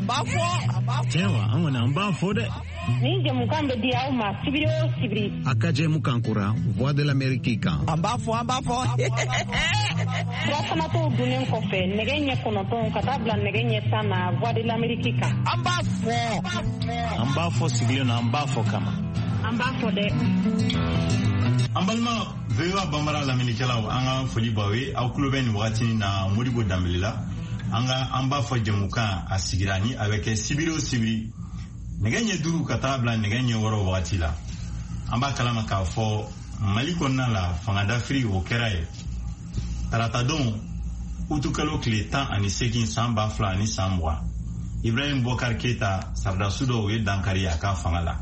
B'a fɔ, an b'a fɔ. Tiɲɛ wa, an kɔni an b'a fɔ dɛ. Nin jɛmukan bɛ di aw ma sibiri o sibiri. A ka jɛmukan kura Voix de l'Amérique kan. An b'a fɔ, an b'a fɔ. Sirafanatɔw dunnen kɔfɛ nɛgɛ ɲɛ 9 ka taa bila nɛgɛ ɲɛ 10 na Voix de l'Amérique kan. An b'a fɔ. An b'a fɔ sigilen na, an b'a fɔ kama. An b'a fɔ dɛ. An balima VOA Bambara lamɛnnikɛlaw, an ka foli b'aw ye. Aw tulo bɛ nin wagati na Modibo Danbele la. An ka an b'a fɔ jɛmukan a sigira ni a bɛ kɛ sibiri o sibiri nɛgɛ ɲɛ 5 ka taa bila nɛgɛ ɲɛ 6 wagati la. An b'a kalama k'a fɔ Mali kɔnɔna la fangadafiri o kɛra ye taratadon utukalo tile 18 san 2020. Ibrahim Boubacar Keita saradasu dɔw ye dankari a ka fanga la.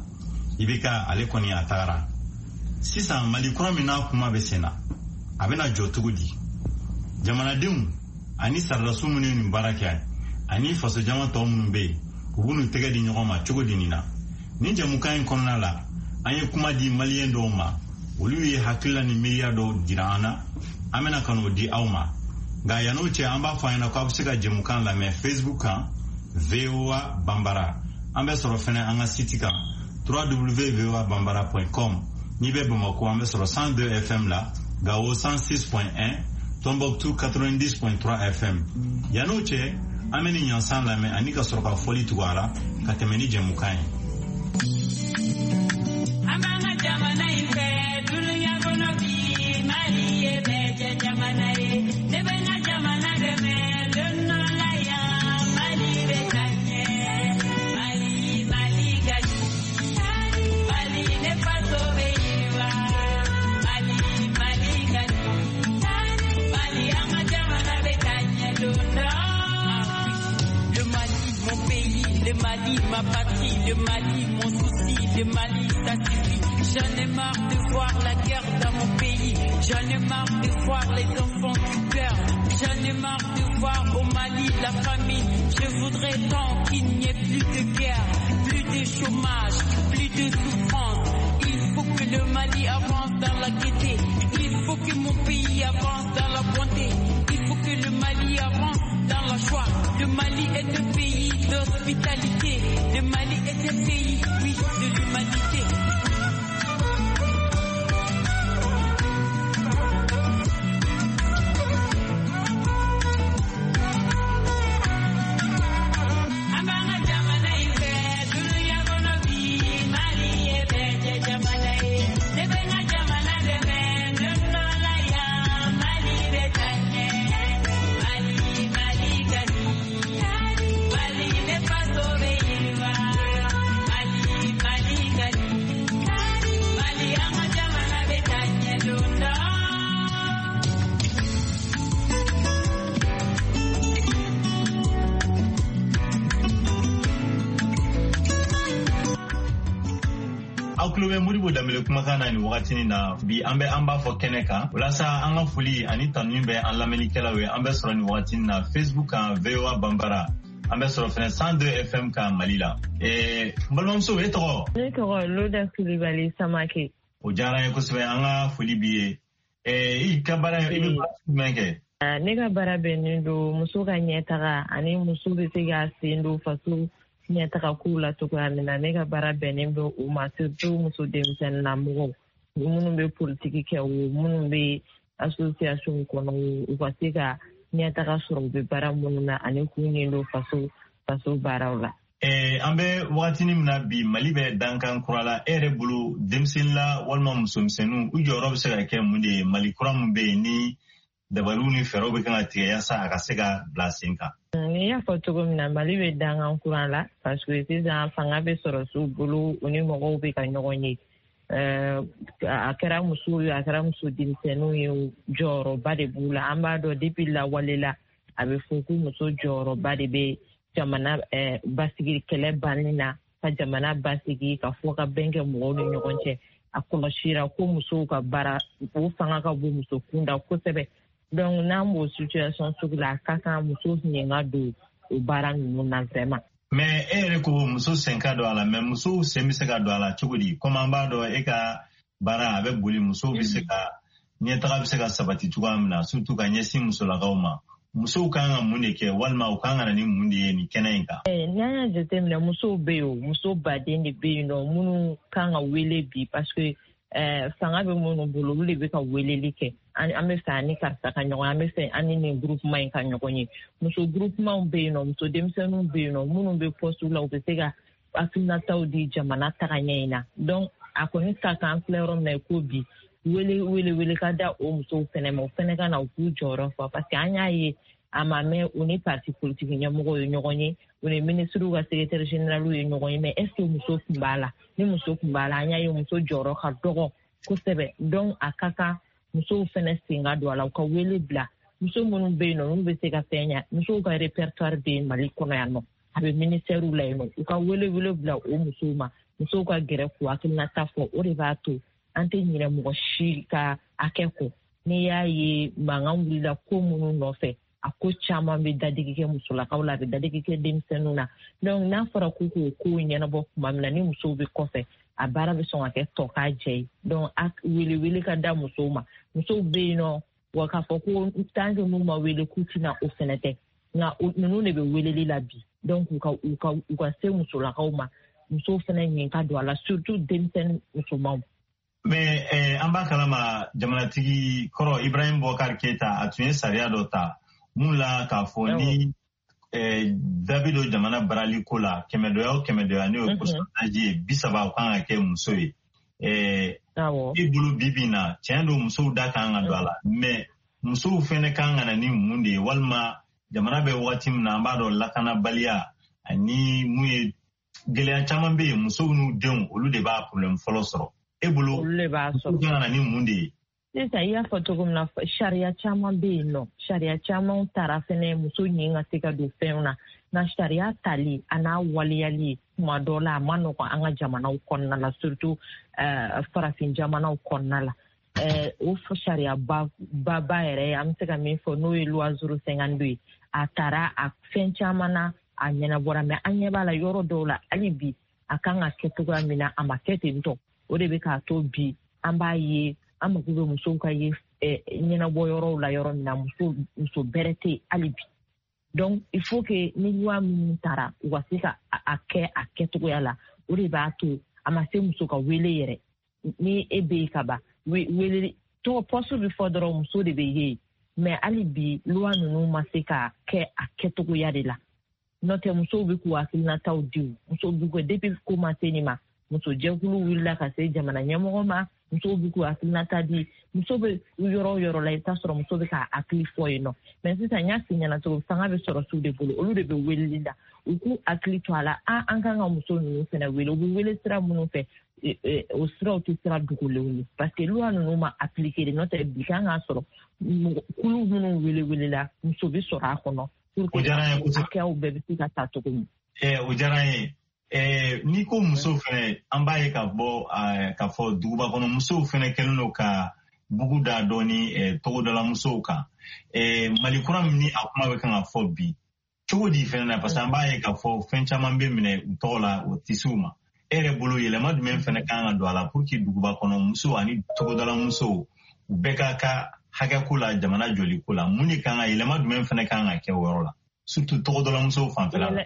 IBK ale kɔni a tagara. Sisan Mali kura min n'a kuma bɛ sen na, a bɛna jɔ cogo di? Jamanadenw ani saradasu minnu ye nin baara kɛ ani fasojama tɔ minnu bɛ yen, u b'u tɛgɛ di ɲɔgɔn ma cogo di nin na? Nin jɛmukan in kɔnɔna la, an ye kuma di maliyɛn dɔw ma, olu ye hakilila ni miiriya dɔw jira an na, an bɛna ka n'o di aw ma. Nka yann'o cɛ, an b'a fɔ an ɲɛna k'aw bɛ se ka jɛmukan lamɛn Facebook kan VOA Bambara. An bɛ sɔrɔ fɛnɛ an ka site kan www.voabambara.com. N'i bɛ Bamako, an bɛ sɔrɔ 102 FM la, Gao 106.1, Tombouctou 90.3 FM. Yann'o cɛ, an bɛ nin ɲansan lamɛn ani ka sɔrɔ ka fɔli tugu a la ka tɛmɛ ni jɛmukan ye. An b'an ka jamana in fɛ, dunuya kɔnɔ bi, Mali ye bɛɛ jɛ jamana ye. Ne bɛ n ka jamana dɛmɛ, don dɔ la yan, Mali bɛ taa ɲɛ. Mali, Mali ka ɲi. Mali, ne faso bɛ yiriwa. Mali, Mali ka ɲi. Mali, an ka jamana bɛ taa ɲɛ don dɔ. Le Mali, mon pays, le Mali, ma patrie, le Mali, mon souci, le Mali, ça suffit. J'en ai marre de voir la guerre dans mon pays. J'en ai marre de voir les enfants qui pleurent. J'en ai marre de voir au Mali la famine. Je voudrais tant qu'il n'y ait plus de guerre, plus de chômage, plus de souffrance. Il faut que le Mali avance dans la gaieté. Il faut que mon pays avance dans la bonté. Il faut que le Mali avance dans la joie. Le Mali est un pays d'hospitalité. Le Mali est un pays, oui, de l'humanité. An b'an ka jamana in fɛ, dunuya kɔnɔ bi, Mali ye bɛɛ jɛ jamana ye. Ne bɛ n ka jamana dɛmɛ, don dɔ la yan, Mali bɛ taa ɲɛ. Mali, Mali ka ɲi. Mali, ne faso bɛ yiriwa. Mali, Mali ka ɲi. Mali, an ka jamana bɛ taa ɲɛ don dɔ. Aw tulo bɛ Modibo Danbele kumakan na nin wagati na bi, an bɛ an b'a fɔ kɛnɛ kan. Walasa an ka foli ani tanuni bɛ an lamɛnnikɛlaw ye, an bɛ sɔrɔ nin wagati na Facebook kan VOA Bambara. An bɛ sɔrɔ fɛnɛ 102 FM kan Mali la. N balimamuso, e tɔgɔ? Ne tɔgɔ Loda Kulibali Samake. O diyara an ye kosɛbɛ, an ka foli b'i ye. I ka baara, i bɛ baara jumɛn kɛ? Ne ka baara bɛnnen don muso ka ɲɛtaga ani muso bɛ se ka sen don faso ɲɛtaga kow la cogoya min na. Ne ka baara bɛnnen bɛ o ma, surtout muso denmisɛnninlamɔgɔw minnu bɛ politiki kɛ o, minnu bɛ association kɔnɔ o, u ka se ka ɲɛtaga sɔrɔ u bɛ baara minnu na ani k'u ɲɛ don faso baaraw la. An bɛ wagatinin min na bi, Mali bɛ dankan kura la. E yɛrɛ bolo, denmisɛnnin la walima musomisɛnninw, u jɔyɔrɔ bɛ se ka kɛ mun de ye Mali kura min bɛ yen ni dabaliw ni fɛɛrɛw bɛ kan ka tigɛ yaasa a ka se ka bila sen kan? Ni y'a fɔ cogo min na, Mali bɛ dankan kura la parce que sisan fanga bɛ sɔrɔ su bolo, u ni mɔgɔw bɛ ka ɲɔgɔn ye. A kɛra musow ye, a kɛra muso denmisɛnninw ye, jɔyɔrɔba de b'u la. An b'a dɔn depuis lawale la, a bɛ fɔ ko muso jɔyɔrɔba de bɛ jamana basigi kɛlɛ banni na, ka jamana basigi, ka fɔ ka bɛn kɛ mɔgɔw ni ɲɔgɔn cɛ. A kɔlɔsira ko musow ka baara, o fanga ka bon muso kunda kosɛbɛ. Donc n'an b'o situation sugu la, a ka kan muso ɲɛ ka don o baara ninnu na vraiment. Mais e yɛrɛ ko muso sen ka don a la, mais musow sen bɛ se ka don a la cogo di? Komi an b'a dɔn e ka baara a bɛ boli, musow bɛ se ka ɲɛtaga bɛ se ka sabati cogoya min na, surtout ka ɲɛsin musolakaw ma. Musow kan ka mun de kɛ walima u kan ka na ni mun de ye nin kɛnɛ in kan? N'an y'a jateminɛ, musow bɛ yen, o muso baden de bɛ yen nɔ minnu kan ka wele bi, parce que fanga bɛ minnu bolo, olu de bɛ ka weleli kɛ. An bɛ fɛ an ni karisa ka ɲɔgɔn ye, an bɛ fɛ an ni nin groupement in ka ɲɔgɔn ye. Muso groupementw bɛ yen nɔ, muso denmisɛnninw bɛ yen nɔ minnu bɛ poste la, u bɛ se ka hakilinataw di jamana tagaɲɛ in na. Donc a kɔni ka kan, an filɛ yɔrɔ min na i ko bi, wele wele wele ka da o musow fɛnɛ ma, o fɛnɛ ka na u k'u jɔyɔrɔ fa, parce que an y'a ye a ma mɛn, u ni parti politique ɲɛmɔgɔw ye ɲɔgɔn ye, u ni minisiriw ka secrétaire général ye ɲɔgɔn ye, mais est ce que muso tun b'a la? Ni muso tun b'a la, an y'a ye muso jɔyɔrɔ ka dɔgɔ kosɛbɛ. Donc a ka kan musow fɛnɛ sen ka don a la, u ka wele bila muso minnu bɛ yen nɔ n'u bɛ se ka fɛn ɲa. Musow ka répertoire bɛ yen Mali kɔnɔ yan nɔ, a bɛ ministère la yen nɔ, u ka wele wele bila o musow ma, musow ka gɛrɛ k'u hakilinata fɔ. O de b'a to an tɛ ɲinɛ mɔgɔ si ka hakɛ kɔ. N'i y'a ye mankan wulila ko minnu nɔfɛ, a ko caman bɛ dadigi kɛ musolakaw la, a bɛ dadigi kɛ denmisɛnninw na. Donc n'a fɔra k'u k'o kow ɲɛnabɔ tuma min na, ni musow bɛ kɔfɛ, a baara bɛ sɔn ka kɛ tɔ k'a jɛ ye. Donc a wele wele ka da musow ma. Musow bɛ yen nɔ, wa k'a fɔ ko tant que n'u ma wele k'u tɛna, o fɛnɛ tɛ, nka ninnu de bɛ weleli la bi. Donc u ka u ka u ka se musolakaw ma, musow fɛnɛ ɲin ka don a la, surtout denmisɛnnin musomanw. Mais an b'a kalama, jamanatigi kɔrɔ Ibrahim Boubacar Keita, a tun ye sariya dɔ ta mun la k'a fɔ ni da bɛ don jamana barali ko la, kɛmɛdɔya o kɛmɛdɔya, n'o ye pourcentage ye, 30, o kan ka kɛ muso ye. I bolo, bi bi in na, tiɲɛ don musow da kan ka don a la, mais musow fɛnɛ kan ka na ni mun de ye? Walima jamana bɛ wagati min na, an b'a dɔn lakanabaliya ani mun ye gɛlɛya caman bɛ yen, musow n'u denw, olu de b'a problème fɔlɔ sɔrɔ. E bolo, olu de b'a sɔrɔ. Musow kan ka na ni mun de ye? Sisan, i y'a fɔ cogo min na, sariya caman bɛ yen nɔ, sariya caman tara fɛnɛ muso ɲin ka se ka don fɛnw na. Nka sariya tali a n'a waleyali, tuma dɔ la a ma nɔgɔn an ka jamanaw kɔnɔna la, surtout farafin jamanaw kɔnɔna la. O sariya ba ba yɛrɛ, an bɛ se ka min fɔ, n'o ye loi 052 ye, a taara a fɛn caman na, a ɲɛnabɔra, mais an ɲɛ b'a la yɔrɔ dɔw la, hali bi a kan ka kɛ cogoya min na, a ma kɛ ten tɔ. O de bɛ k'a to bi an b'a ye an mako bɛ musow ka ye ɲɛnabɔ yɔrɔw la, yɔrɔ min na muso muso bɛrɛ tɛ yen hali bi. Donc il faut que ni loi minnu taara, u ka se ka a kɛ a kɛcogoya la. O de b'a to a ma se muso ka wele yɛrɛ. Ni e bɛ yen ka ban, wele tɔgɔ, poste bɛ fɔ dɔrɔn, muso de bɛ ye. Mais hali bi loi ninnu ma se ka kɛ a kɛcogoya de la. N'o tɛ, musow bɛ k'u hakilinataw di, musow bɛ k'u, depuis ko ma se nin ma, muso jɛkulu wulila ka se jamana ɲɛmɔgɔ ma, musow bɛ k'u hakilinata di. Muso bɛ yɔrɔ o yɔrɔ la, i bɛ taa sɔrɔ muso bɛ k'a hakili fɔ yen nɔ. Mais sisan, n y'a f'i ɲɛna cogo, fanga bɛ sɔrɔ su de bolo, olu de bɛ weleli la, u k'u hakili to a la. An kan ka muso ninnu fana wele, u bɛ wele sira minnu fɛ, o siraw tɛ sira dogolenw ye, parce que loi ninnu ma appliqué de. N'o tɛ, bi kan k'a sɔrɔ kulu minnu wele welela, muso bɛ sɔrɔ a kɔnɔ pour que hakɛyaw bɛɛ bɛ se ka ta cogo min. O diyara n ye. N'i ko muso fɛnɛ, an b'a ye ka bɔ k'a fɔ duguba kɔnɔ musow fɛnɛ kɛlen don ka bugu da dɔɔni togodala musow kan. Mali kura min ni a kuma bɛ kan ka fɔ bi, cogo di fɛnɛ na? Parce que an b'a ye k'a fɔ fɛn caman bɛ minɛ u tɔgɔ la, o tɛ se u ma. E yɛrɛ bolo, yɛlɛma jumɛn fɛnɛ kan ka don a la pour que duguba kɔnɔ musow ani togodala musow, u bɛɛ ka ka hakɛko la, jamana jɔliko la? Mun de kan ka yɛlɛma jumɛn fɛnɛ kan ka kɛ o yɔrɔ la, surtout togodala musow fanfɛla la?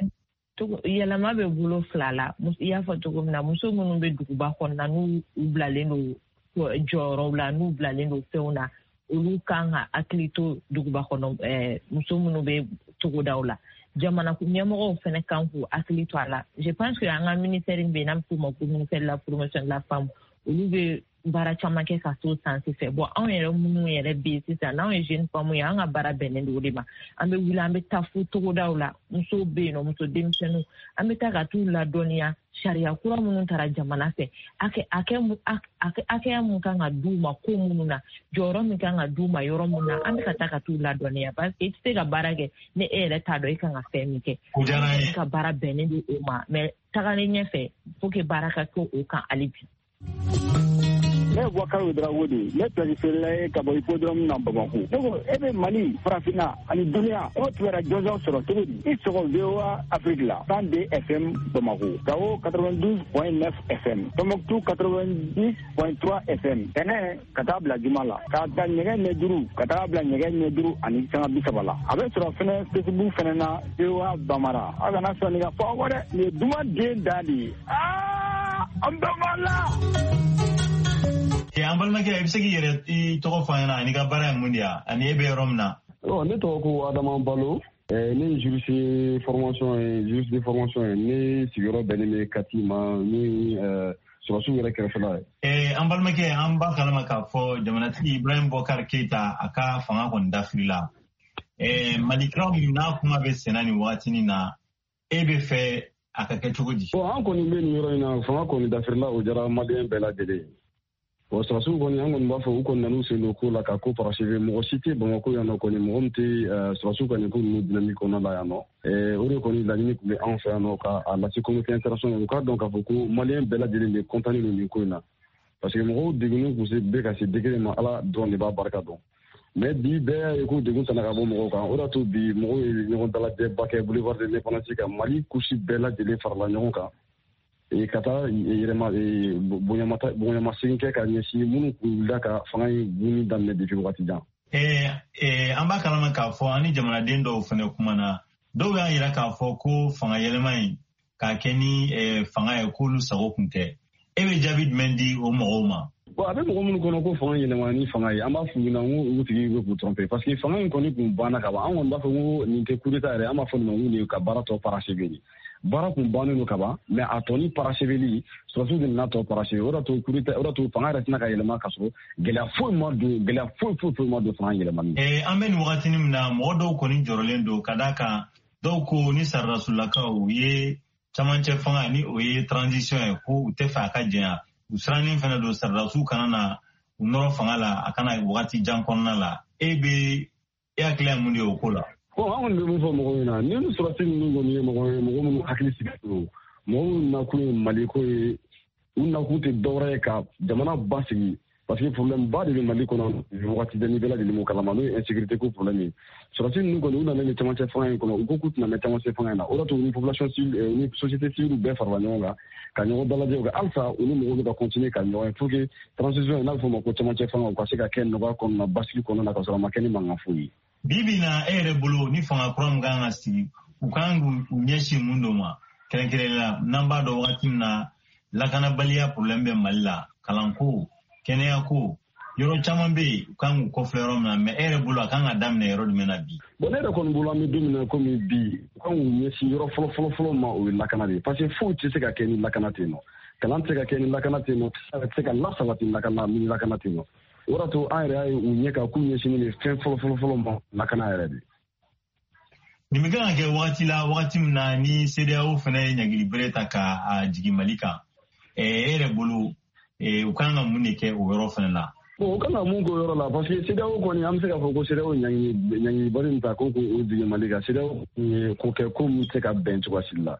Yɛlɛma bɛ bolo fila la. I y'a fɔ cogo min na, muso minnu bɛ duguba kɔnɔna, n'u u bilalen don jɔyɔrɔw la, n'u bilalen don fɛnw na, olu kan ka hakili to duguba kɔnɔ muso minnu bɛ togodaw la. Jamana ɲɛmɔgɔw fɛnɛ kan k'u hakili to a la. Je pense que an ka ministère bɛ yen, n'an bɛ f'o ma ko ministère de la Promotion de la Femme, olu bɛ baara caman kɛ ka s'o sens fɛ. Bon, anw yɛrɛ minnu yɛrɛ bɛ yen sisan, n'anw ye jeune femme ye, an ka baara bɛnnen don o de ma. An bɛ wuli, an bɛ taa fo togodaw la, musow bɛ yen nɔ, muso denmisɛnninw, an bɛ taa ka t'u ladɔnniya sariya kura minnu taara jamana fɛ, hakɛya mun kan ka d'u ma ko minnu na, jɔyɔrɔ min kan ka d'u ma yɔrɔ min na, an bɛ ka taa ka t'u ladɔnniya, parce que i tɛ se ka baara kɛ ni e yɛrɛ t'a dɔn i kan ka fɛn min kɛ. Ka baara bɛnnen don o ma, mais tagalen ɲɛfɛ, faut que baara ka kɛ o kan hali bi. Ne ye Boubacar Ouedraogo de ye, ne pièce feerela ye ka bɔ hippodrome na Bamako. Ne ko e bɛ Mali, Farafinna ani duniya, e b'o kibaruya jɔnjɔn sɔrɔ cogo di? I sɔgɔ VOA Afrique la, 102 FM Bamako, Gao 92.9 FM, Tombouctou 90.3 FM. Tɛnɛ ka taa bila juma la, k'a ta nɛgɛ ɲɛ 5 ka taa bila nɛgɛ ɲɛ 5:30 la. A bɛ sɔrɔ fɛnɛ Facebook fɛnɛ na VOA Bambara. Aw kana sɔn nin ka fɔ aw kɔ dɛ, nin ye duman den dan de ye. Aa, an bɛɛ b'a la. An balimakɛ, i bɛ se k'i yɛrɛ i tɔgɔ fɔ an ɲɛna ani ka baara ye mun de ye, ani e bɛ yɔrɔ min na? Ne tɔgɔ ko Adama Balo. Ne ye juriste formation ye, juriste de formation ye. Ne sigiyɔrɔ bɛnnen bɛ Kati ma, ni sɔrɔsiw yɛrɛ kɛrɛfɛla ye. An balimakɛ, an b'a kalama k'a fɔ jamanatigi Ibrahim Boubacar Keita, a ka fanga kɔni dafirila. Mali kura min n'a kuma bɛ senna nin wagatinin na, e bɛ fɛ a ka kɛ cogo di? Bon, an kɔni bɛ nin yɔrɔ in na, fanga kɔni dafirila, o diyara maliyɛn bɛɛ lajɛlen ye. Bon, sɔrɔsiw kɔni, an kɔni b'a fɔ u kɔni nan'u sen don ko la ka ko parachever. Mɔgɔ si tɛ Bamakɔ yan nɔ kɔni, mɔgɔ min tɛ sɔrɔsiw ka nin ko ninnu dynamique kɔnɔna la yan nɔ. O de kɔni laɲini tun bɛ anw fɛ yan nɔ, ka a lase communauté internationale, u k'a dɔn k'a fɔ ko maliyɛn bɛɛ lajɛlen de content don nin ko in na. Parce que mɔgɔw degunnen kun bɛ ka se degré ma, Ala dɔrɔn de b'a barika dɔn. Mais bi bɛɛ y'a ye ko degun tana ka bɔ mɔgɔw kan. O de y'a to bi mɔgɔw ye ɲɔgɔn dalajɛba kɛ boulevard de l'Indépendance kan, Mali couche bɛɛ lajɛlen farala ɲɔgɔn kan. Ka taa yɛrɛma bonyamasegin kɛ ka ɲɛsin minnu kun wulila ka fanga in bunni daminɛ depuis wagati jan. An b'a kalama k'a fɔ an ni jamanaden dɔw fana kumana, dɔw y'a yira k'a fɔ ko fanga yɛlɛma in k'a kɛ ni fanga ye, k'olu sago kun tɛ. E bɛ jaabi jumɛn di o mɔgɔw ma? Bon, a bɛ mɔgɔ minnu kɔnɔ ko fanga yɛlɛma ni fanga ye, an b'a f'u ɲɛna ko u tigi bɛ k'u tromper, parce que fanga in kɔni kun banna ka ban. An kɔni b'a fɔ ko nin tɛ coup d'état yɛrɛ, an b'a fɔ nin ma ko nin ye ka baara tɔ parachever de. Baara kun bannen don ka ban, mais a tɔ ni paracheveli, sɔrɔsiw de nana tɔ parachever. O de to coup d'état, o de to fanga yɛrɛ tɛna ka yɛlɛma ka sɔrɔ gɛlɛya foyi ma don, gɛlɛya foyi foyi foyi ma don fanga yɛlɛmani. An bɛ nin wagatinin min na, mɔgɔ dɔw kɔni jɔrɔlen don ka d'a kan dɔw ko ni saradasulakaw u ye camancɛ fanga ni o ye transition ye, ko u tɛ fɛ a ka janya. U sirannen fana don saradasiw kana na u nɔrɔ fanga la, a kana wagati jan kɔnɔna la. E bɛ e hakilila ye mun de ye o ko la? Bon, an kɔni bɛ mun fɔ mɔgɔw ɲɛna, ni sɔrɔsi ninnu kɔni ye mɔgɔ ye, mɔgɔ minnu hakili sigilen don, mɔgɔ minnu nakun ye Maliko ye, u nakun tɛ dɔwɛrɛ ye ka jamana basigi. Parce que problème ba de bɛ Mali kɔnɔ wagati bɛɛ, ni bɛɛ lajɛlen m'o kalama, n'o ye insécurité ko problème ye. Sɔrɔsi ninnu kɔni, u nana ni camancɛ fanga in kɔnɔ, u ko k'u tɛna mɛn camancɛ fanga in na. O de y'a to ni population civile, ni société civile bɛɛ farala ɲɔgɔn kan ka ɲɔgɔn dalajɛ kɛ, halisa u ni mɔgɔw bɛ ka continuer ka ɲɔgɔn ye pour que transition, n'a bɛ fɔ o ma ko camancɛ fanga, u ka se ka kɛ nɔgɔya kɔnɔna, basigi kɔnɔna na, ka sɔrɔ a ma kɛ ni mankan foyi ye. Bi bi in na, e yɛrɛ bolo, ni fanga kura min kan ka sigi, u kan k'u ɲɛsin mun dɔ ma kɛrɛnkɛrɛnnenya la, n'an b'a dɔn wagati min na lakanabaliya problème bɛ Mali la, kalanko, kɛnɛyako, yɔrɔ caman bɛ yen u kan k'u kɔfilɛ yɔrɔ min na, mais e yɛrɛ bolo a kan ka daminɛ yɔrɔ jumɛn na bi? Bon, ne yɛrɛ kɔni bolo, an bɛ don min na komi bi, u kan k'u ɲɛsin yɔrɔ fɔlɔ fɔlɔ fɔlɔ ma, o ye lakana de ye. Parce que foyi tɛ se ka kɛ ni lakana tɛ yen nɔ, kalan tɛ se ka kɛ ni lakana tɛ yen nɔ, tɛ se ka lasabati ni lakana tɛ yen nɔ. O de y'a to an yɛrɛ y'a ye u ɲɛ kan k'u ɲɛsinnen bɛ fɛn fɔlɔ fɔlɔ fɔlɔ ma, lakana yɛrɛ de. Nin bɛ kan ka kɛ wagati la, wagati min na ni CEDEAO fana ye ɲangili bere ta ka jigin Mali kan. E yɛrɛ bolo, u kan ka mun de kɛ o yɔrɔ fana la? Bon, u kan ka mun k'o yɔrɔ la, parce que CEDEAO kɔni, an bɛ se k'a fɔ ko CEDEAO ɲangilibari min ta ko k'o jigin Mali kan, CEDEAO ye ko kɛ ko min tɛ se ka bɛn cogoya si la.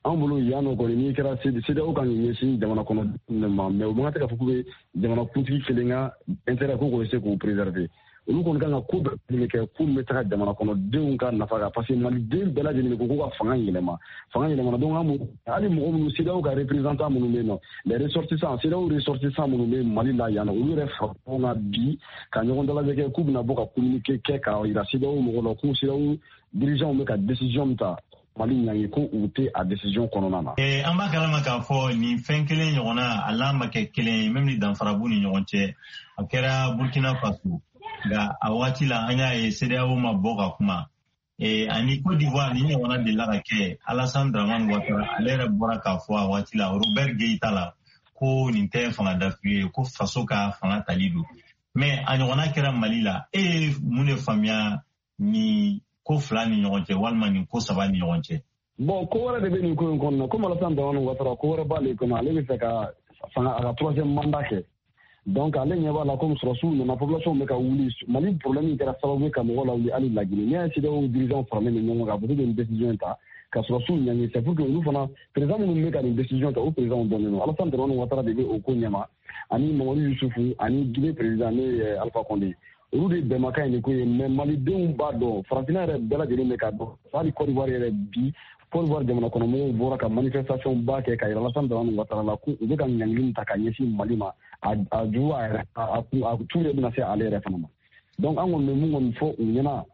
An bolo yan nɔ kɔni, n'i kɛra CEDEAO kan k'i ɲɛsin jamana kɔnɔ ma, mais u man kan tɛ k'a fɔ k'u bɛ jamana kuntigi kelen ka intérêt ko k'o se k'o préserver. Olu kɔni kan ka ko bɛɛ kɛ ko min bɛ taga jamana kɔnɔdenw ka nafa kan, parce que maliden bɛɛ lajɛlen ko k'u ka fanga yɛlɛma, fanga yɛlɛmana. Donc an hali mɔgɔ minnu CEDEAO ka représentant minnu bɛ yen nɔ, les ressortissants, CEDEAO ressortissants minnu bɛ Mali la yan nɔ, olu yɛrɛ fara ɲɔgɔn kan bi ka ɲɔgɔn dalajɛ kɛ k'u bɛna bɔ ka communiqué kɛ k'a yira CEDEAO mɔgɔw la ko CEDEAO dirigeants bɛ ka décision min ta Mali ɲangi, ko u tɛ a décision kɔnɔna na. An b'a kalama k'a fɔ nin fɛn kelen ɲɔgɔnna, a n'a ma kɛ kelen ye, même ni danfara b'u ni ɲɔgɔn cɛ, a kɛra Burkina Faso, nka a wagati la an y'a ye CEDEAO ma bɔ ka kuma. Ani Côte d'Ivoire nin ɲɔgɔnna delila ka kɛ, Alassane Dramane Ouattara ale yɛrɛ bɔra k'a fɔ a waati la Robert Gueï ta la ko nin tɛ fanga dafiri ye, ko faso ka fanga tali don. Mais a ɲɔgɔnna kɛra Mali la. E ye mun de faamuya nin ko fila ni ɲɔgɔn cɛ, walima nin ko saba ni ɲɔgɔn cɛ? Bon, ko wɛrɛ de bɛ nin ko in kɔnɔna, komi Alassane Dramane Ouattara, ko wɛrɛ b'ale kɔnɔ, ale bɛ fɛ ka fanga a ka troisième mandat kɛ. Donc ale ɲɛ b'a la komi sɔrɔsiw nana, population bɛ ka wuli, Mali problème kɛra sababu ye ka mɔgɔw lawuli hali Laginɛ. N'i y'a ye CEDEAO dirigeants faralen bɛ ɲɔgɔn kan, a fɔ k'u bɛ nin décision ta Ka sɔrɔdasiw ɲangi, c'est pour que olu fana, président minnu bɛ ka nin décision ta, o président dɔnnen don. Alassane Dramane Ouattara de bɛ o ko ɲɛma, ani Mamadou Yusufu, ani Guinée président ne ye Alpha Condé. Olu de bɛnbakan ye nin ko ye. Mais malidenw b'a dɔn, farafinna yɛrɛ bɛɛ lajɛlen bɛ k'a dɔn. Hali Côte d'Ivoire yɛrɛ bi, Côte d'Ivoire jamana kɔnɔmɔgɔw bɔra ka manifestation ba kɛ ka yira Alassane Dramane Ouattara la ko u bɛ ka ɲangili min ta ka ɲɛsin Mali ma, a jugu a yɛrɛ a tu yɛrɛ bɛna se ale yɛrɛ fana ma. Donc an kɔni bɛ mun kɔni fɔ u ɲɛna,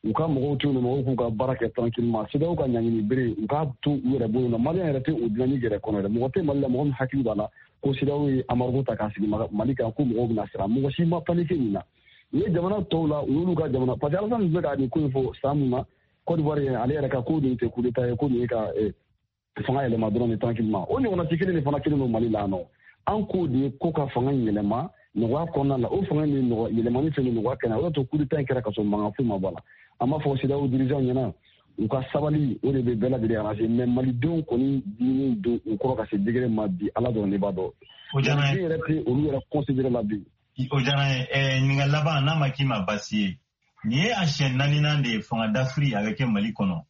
u ka mɔgɔw to yen, mɔgɔw k'u ka baara kɛ tranquillement. CEDEAO ka ɲangini bere, u k'a to u yɛrɛ bolo na. Maliyɛn yɛrɛ tɛ o dynamique yɛrɛ kɔnɔ yɛrɛ. Mɔgɔ tɛ Mali la, mɔgɔ min hakili b'a la ko CEDEAO ye embargo ta k'a sigi Mali kan, ko mɔgɔw bɛna siran. Mɔgɔ si ma paniquer nin na. U ye jamana tɔw la, u y'olu ka jamana, parce que Alassane bɛ ka nin ko in fɔ san mun na, Côte d'Ivoire ye ale yɛrɛ ka ko nin tɛ coup d'état ye, ko nin ye ka fanga yɛlɛma dɔrɔn de tranquillement. O ɲɔgɔnna ci kelen de fana kelen don Mali la yan nɔ. An k'o de ye ko ka fanga yɛlɛma nɔgɔya kɔnɔna la. O fanga ni yɛlɛmani fɛn nɔgɔya kɛnɛ, o de to coup d'état in kɛra ka sɔrɔ mankan foyi ma bɔ a la. An b'a fɔ CEDEAO dirigeant ɲɛna, u ka sabali, o de bɛ bɛɛ lajɛlen arranger. Mais malidenw kɔni diminen don u kɔrɔ ka se degré ma bi, Ala dɔrɔn de b'a dɔn. O diyara n ye. Yɛrɛ tɛ olu yɛrɛ considéré la bi. O diyara n ye. Ɲininkali laban, n'a ma k'i ma baasi ye, nin ye a siɲɛ naaninan de ye fanga dafiri a bɛ kɛ Mali kɔnɔ.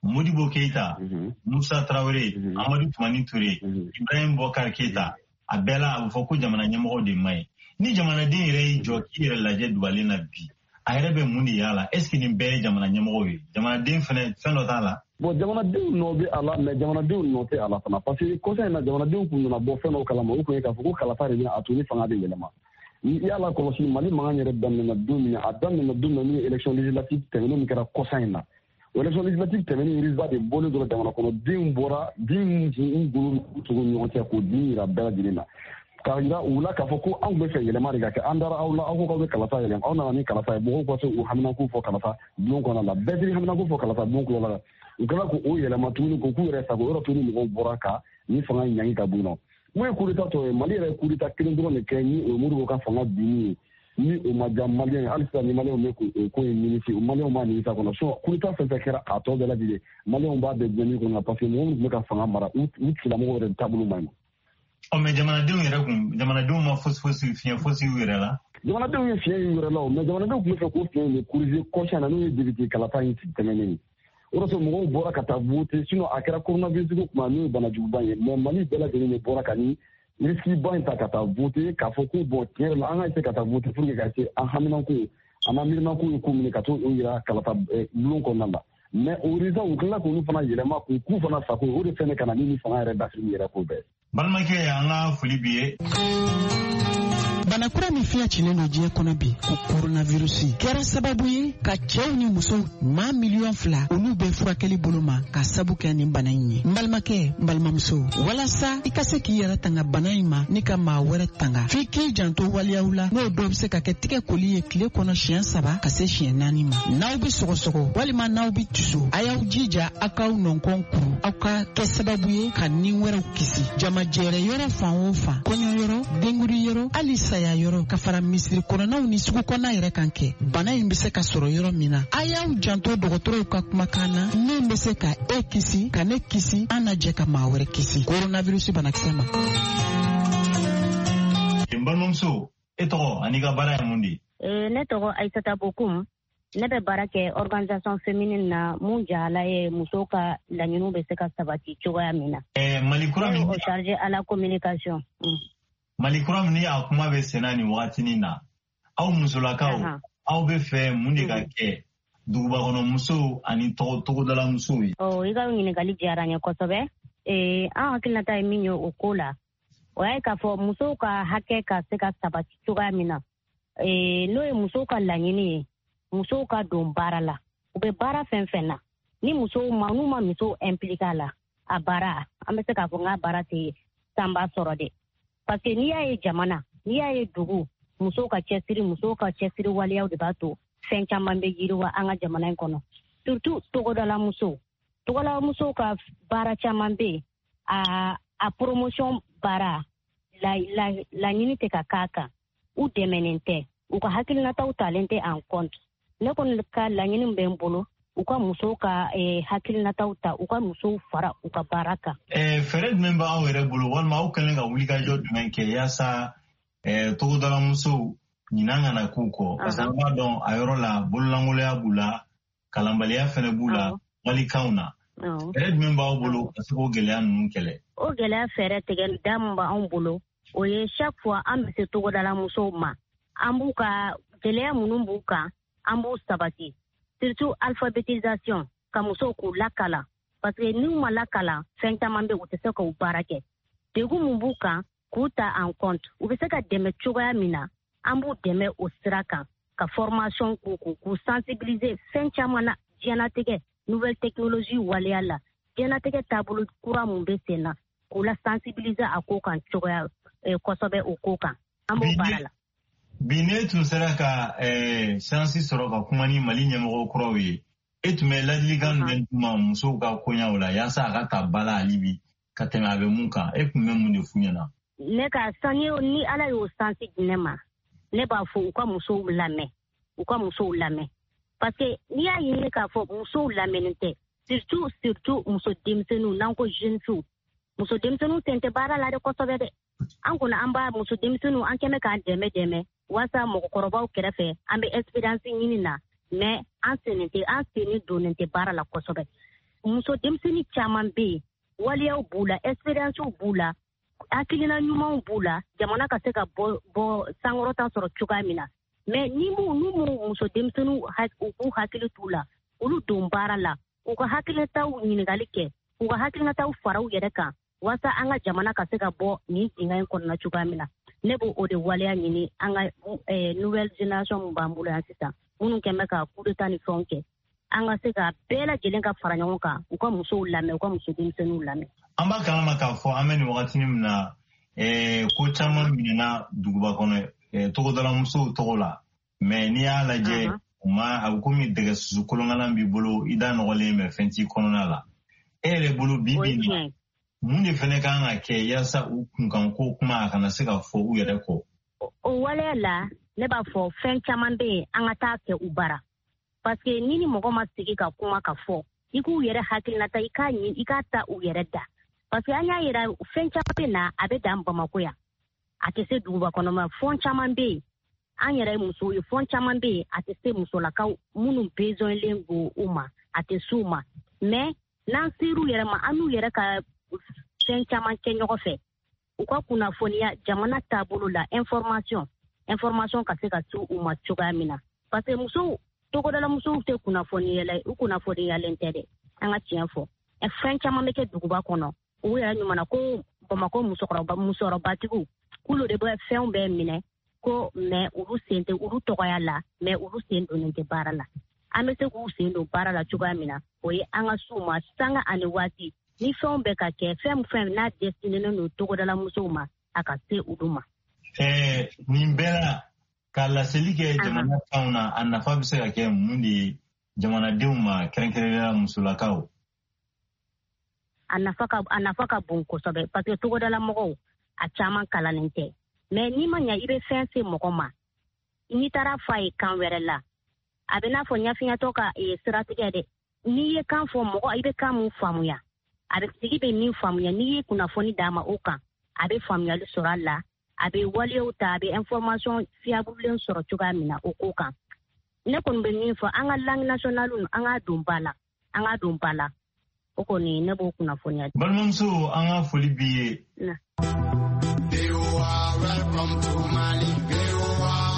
Modibo Keïta, Musa Traoré, Amadou Toumani Touré, Ibrahim Boubacar Keïta, a bɛɛ la a bɛ fɔ ko jamana ɲɛmɔgɔw de man ɲi. Ni jamanaden yɛrɛ y'i jɔ k'i yɛrɛ lajɛ dubalen na bi, a yɛrɛ bɛ mun de y'a la? Est ce que nin bɛɛ ye jamana ɲɛmɔgɔw ye? Jamanaden fɛnɛ fɛn dɔ t'a la. Bon, jamanadenw nɔ bɛ a la, mais jamanadenw nɔ tɛ a la fana, parce que kɔsa in na, jamanadenw kun nana bɔ fɛn dɔw kalama. O kun ye k'a fɔ ko kalata de bɛna a to ni fanga bɛ yɛlɛma. I y'a lakɔlɔsi, Mali mankan yɛrɛ daminɛna don min na, a daminɛna don min na, ni élection législative tɛmɛnen min kɛra kɔsa in na. O élection législative tɛmɛnen, résultat de bɔlen dɔrɔn, jamana kɔnɔdenw bɔra, den min tun golo tugu ɲɔgɔn cɛ k'o dimi yira bɛɛ lajɛlen na, k'a yira u la k'a fɔ ko anw bɛ fɛ yɛlɛma de ka kɛ. An dara aw la, aw ko k'aw bɛ kalata yɛlɛma, aw nana ni kalata ye. Mɔgɔw ka se u haminanko fɔ kalata bulon kɔnɔna la, bɛɛ t'i haminanko fɔ kalata bulon kɔnɔna la. U kɛla k'o yɛlɛma tuguni, k'o k'u yɛrɛ sago. Yɔrɔ tuguni, mɔgɔw bɔra ka ni fanga ɲangi ka bɔ yen nɔ. Mun ye coup d'état tɔ ye? Mali yɛrɛ ye coup d'état kelen dɔrɔn de kɛ, ni o ye Modibo ka fanga binni ye, ni o ma diya maliyɛn ye. Hali sisan ni maliyɛnw bɛ k'o ko in nimisi, maliyɛnw b'a nimisa kɔnɔ. Sinon coup d'état fɛn fɛn kɛra a tɔ bɛɛ lajɛlen, maliyɛnw b'a bɛɛ diɲɛ kɔnɔ, parce que mɔgɔ minnu tun bɛ ka fanga mara, u tigilamɔgɔw yɛrɛ taabolo man ɲi. Ɔ, mais jamanadenw yɛrɛ kun, jamanadenw ma fosi fosi fiɲɛ fosi y'u yɛrɛ la. Jamanadenw ye fiɲɛ y'u yɛrɛ la o, mais jamanadenw tun bɛ fɛ k'o fiɲɛ in de corriger kɔsa na, n'o ye député kalata in tɛmɛnen ye. O de sɔrɔ mɔgɔw bɔra ka taa voter. Sinon a kɛra coronavirus ko kuma, n'o ye banajuguba ye, mais Mali bɛɛ lajɛlen de bɔra ka ni risque ba in ta ka taa voter, k'a fɔ ko bon, tiɲɛ yɛrɛ la, an ka essayer ka taa voter pour que ka se an haminanko an n'an miirinako ye ko min ye, ka t'o yira kalata bulon kɔnɔna la. Mais o résultat, u tilala k'olu fana yɛlɛma k'u k'u fana sago. O de fɛnɛ ka na ni fanga yɛrɛ dafiri yɛrɛ ko bɛɛ. Balimakɛ, an ka foli b'i ye. Bana kura min fiɲɛ cilen don diɲɛ kɔnɔ bi, ko koronavirusi, kɛra sababu ye ka cɛw ni musow maa 2 miliyɔn olu bɛ furakɛli bolo ma ka sabu kɛ nin bana in ye. N balimakɛ, n balimamuso, walasa i ka se k'i yɛrɛ tanga bana in ma ni ka maa wɛrɛ tanga, f'i k'i janto waleyaw la, n'o dɔ bɛ se ka kɛ tigɛ koli ye tile kɔnɔ siɲɛ saba ka se siɲɛ naani ma. N'aw bɛ sɔgɔsɔgɔ walima n'aw bɛ tiso, a y'aw jija aw k'aw nɔnkɔn kuru. Aw ka kɛ sababu ye ka ni wɛrɛw kisi. Jamajɛrɛ yɔrɔ fan o fan, kɔɲɔyɔrɔ, denkuli yɔrɔ, hali saya yɔrɔ, ka fara misiri kɔnɔnaw ni sugu kɔnɔna yɛrɛ kan kɛ, bana in bɛ se ka sɔrɔ yɔrɔ min na, a y'aw janto dɔgɔtɔrɔw ka kumakan na, min bɛ se ka e kisi, ka ne kisi, an na jɛ ka maa wɛrɛ kisi koronavirusi banakisɛ ma. N balimamuso, e tɔgɔ ani ka baara ye mun de ye? Ne tɔgɔ Aïssata Bokoum. Ne bɛ baara kɛ organisation féminine na, mun jahala ye musow ka laɲiniw bɛ se ka sabati cogoya min na. Mali kura min o chargé à la communication. Mali kura min ni a kuma bɛ senna nin wagatinin na, aw musolakaw, aw bɛ fɛ mun de ka kɛ duguba kɔnɔ musow ani togodala musow ye? Ɔ, i ka ɲininkali diyara n ye kosɛbɛ. An hakilinata ye min ye o ko la, o y'a ye k'a fɔ musow ka hakɛ ka se ka sabati cogoya min na, n'o ye musow ka laɲini ye, musow ka don baara la. U bɛ baara fɛn fɛn na, ni musow ma, n'u ma musow impliqué a la, a baara, an bɛ se k'a fɔ n k'a baara tɛ sanba sɔrɔ dɛ, parce que n'i y'a ye jamana, n'i y'a ye dugu, musow ka cɛsiri waleyaw de b'a to fɛn caman bɛ yiriwa an ka jamana in kɔnɔ, surtout togodala musow. Togodala musow ka baara caman bɛ yen, a promotion baara laɲini tɛ ka k'a kan, u dɛmɛnen tɛ, u ka hakilinataw talen tɛ en compte. Ne kɔni ka laɲini bɛ n bolo, u ka musow ka hakilinataw ta, u ka musow fara u ka baara kan. Fɛɛrɛ jumɛn b'aw yɛrɛ bolo, walima aw kɛlen ka wulikajɔ jumɛn kɛ yaasa togodala musow ɲinan kana k'u kɔ? Parce que an b'a dɔn a yɔrɔ la, bololankoloya b'u la, kalanbaliya fɛnɛ b'u la walikanw na. Fɛɛrɛ jumɛn b'aw bolo ka se k'o gɛlɛya ninnu kɛlɛ? O gɛlɛya fɛɛrɛ tigɛ da min b'anw bolo, o ye chaque fois an bɛ se togodala musow ma, an b'u ka gɛlɛya minnu b'u kan, an b'u sabati, surtout alphabétisation, ka musow k'u lakalan, parce que n'u ma lakalan, fɛn caman bɛ u tɛ se k'u baara kɛ. Degun mun b'u kan, k'u ta en compte, u bɛ se ka dɛmɛ cogoya min na, an b'u dɛmɛ o sira kan, ka formation k'u kun, k'u sensibiliser fɛn caman na, diɲɛnatigɛ nouvelle technologie waleya la, diɲɛnatigɛ taabolo kura mun bɛ sen na, k'u la sensibiliser a ko kan cogoya kosɛbɛ o ko kan, an b'o baara la. Bi ne tun sera ka chance sɔrɔ ka kuma ni Mali ɲɛmɔgɔ kuraw ye, e tun bɛ ladilikan jumɛn d'u ma musow ka koɲaw la yaasa a ka ta ba la hali bi ka tɛmɛ a bɛ mun kan? E tun bɛ mun de f'u ɲɛna? Ne ka sani ni Ala y'o sansi di ne ma, ne b'a fɔ u ka musow lamɛn, u ka musow lamɛn, parce que n'i y'a ɲini k'a fɔ musow lamɛnnen tɛ, surtout muso denmisɛnninw, n'an ko jeune fille, muso denmisɛnninw sen tɛ baara la dɛ kosɛbɛ dɛ. An kɔni an b'a muso denmisɛnninw an kɛmɛ k'an dɛmɛ walasa mɔgɔkɔrɔbaw kɛrɛfɛ, an bɛ expérience ɲini na, mais an sen tɛ, an sen donnen tɛ baara la kosɛbɛ. Muso denmisɛnnin caman bɛ yen, waleyaw b'u la, expérience b'u la, hakilina ɲumanw b'u la, jamana ka se ka bɔ sankɔrɔta sɔrɔ cogoya min na. Mais ni n'u m'u muso denmisɛnninw u k'u hakili t'u la, olu don baara la, k'u ka hakilinataw ɲininkali kɛ, k'u ka hakilinataw fara u yɛrɛ kan, walasa an ka jamana ka se ka bɔ nin dingɛ in kɔnɔna cogoya min na. Ne b'o o de waleya ɲini an ka nouvelle génération min b'an bolo yan sisan, minnu kɛn bɛ ka coup d'état ni fɛnw kɛ, an ka se ka bɛɛ lajɛlen ka fara ɲɔgɔn kan, u ka musow lamɛn, u ka muso denmisɛnninw lamɛn. An b'a kalama k'a fɔ an bɛ nin wagati min na, ko caman minɛna duguba kɔnɔ togodala musow tɔgɔ la, mais n'i y'a lajɛ, u ma a bɛ komi dɛgɛ susu kolonkalan b'i bolo, i da nɔgɔlen bɛ, fɛn t'i kɔnɔna la. E yɛrɛ bolo, bi bi in na, mun de fɛnɛ kan ka kɛ yaasa u kunkanko kuma a kana se ka fɔ u yɛrɛ kɔ? O waleya la, ne b'a fɔ fɛn caman bɛ yen, an ka taa kɛ u bara, parce que ni mɔgɔ ma sigi ka kuma ka fɔ, i k'u yɛrɛ hakilinata, i k'a ɲini, i k'a ta u yɛrɛ da, parce que an y'a yira fɛn caman bɛ na, a bɛ dan Bamako yan, a tɛ se duguba kɔnɔ ma. Fɛn caman bɛ yen, an yɛrɛ ye musow ye, fɛn caman bɛ yen, a tɛ se musolakaw minnu besoinlen don u ma, a tɛ s'u ma. Mais n'an ser'u yɛrɛ ma, an n'u yɛrɛ ka fɛn caman kɛ ɲɔgɔn fɛ, u ka kunnafoniya jamana taabolo la, information ka se ka se u ma cogoya min na, parce que musow, togodala musow tɛ kunnafoniyala, u kunnafoniyalen tɛ dɛ. An ka tiɲɛ fɔ, fɛn caman bɛ kɛ duguba kɔnɔ, u yɛrɛ ɲuman ko Bamakɔ musokɔrɔba, musokɔrɔbatigiw k'olu de bɛ fɛnw bɛɛ minɛ ko, mais olu sen tɛ, olu tɔgɔya la, mais olu sen donnen tɛ baara la. An bɛ se k'u sen don baara la cogoya min na, o ye an ka s'u ma sanga ani waati ni fɛnw bɛ ka kɛ, fɛn fɛn n'a destinénen don togodala musow ma, a ka se olu ma. Nin bɛɛ la, ka laseli kɛ jamana kanw na, a nafa bɛ se ka kɛ mun de ye jamanadenw ma, kɛrɛnkɛrɛnnenya musolakaw? A nafa ka bon kosɛbɛ, parce que togodala mɔgɔw a caman kalannen tɛ. Mais n'i ma ɲa i bɛ fɛn se mɔgɔ ma, n'i taara fɔ a ye kan wɛrɛ la, a bɛ n'a fɔ ɲafiɲatɔ ka siratigɛ dɛ. N'i ye kan fɔ mɔgɔ, i bɛ kan mun faamuya, a bɛ tigi bɛ min faamuya, n'i ye kunnafoni d'a ma o kan, a bɛ faamuyali sɔrɔ a la, a bɛ waleyaw ta, a bɛ information fiable sɔrɔ cogoya min na o ko kan. Ne kɔni bɛ min fɔ, an ka langue nationale, an k'a don ba la, an k'a don ba la. O kɔni, ne b'o kunnafoniya. Balimamuso, an ka foli b'i ye. Welcome to Mali.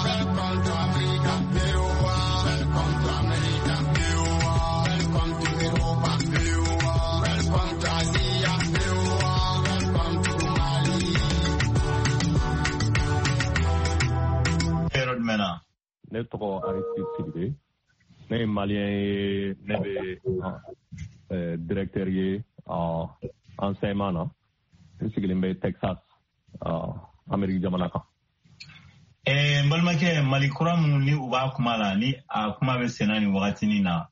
Welcome to Africa. Welcome to America. Welcome to Europa. Welcome to Asia. Welcome to Mali. Yɔrɔ jumɛn na? Ne tɔgɔ Aristide Sidibe, ne ye malien ye, ne bɛ directeur ye enseignement na, n sigilen bɛ Texas, Amérique jamana kan. N balimakɛ, Mali kura minnu ni u b'a kuma la, ni a kuma bɛ senna nin wagatinin na,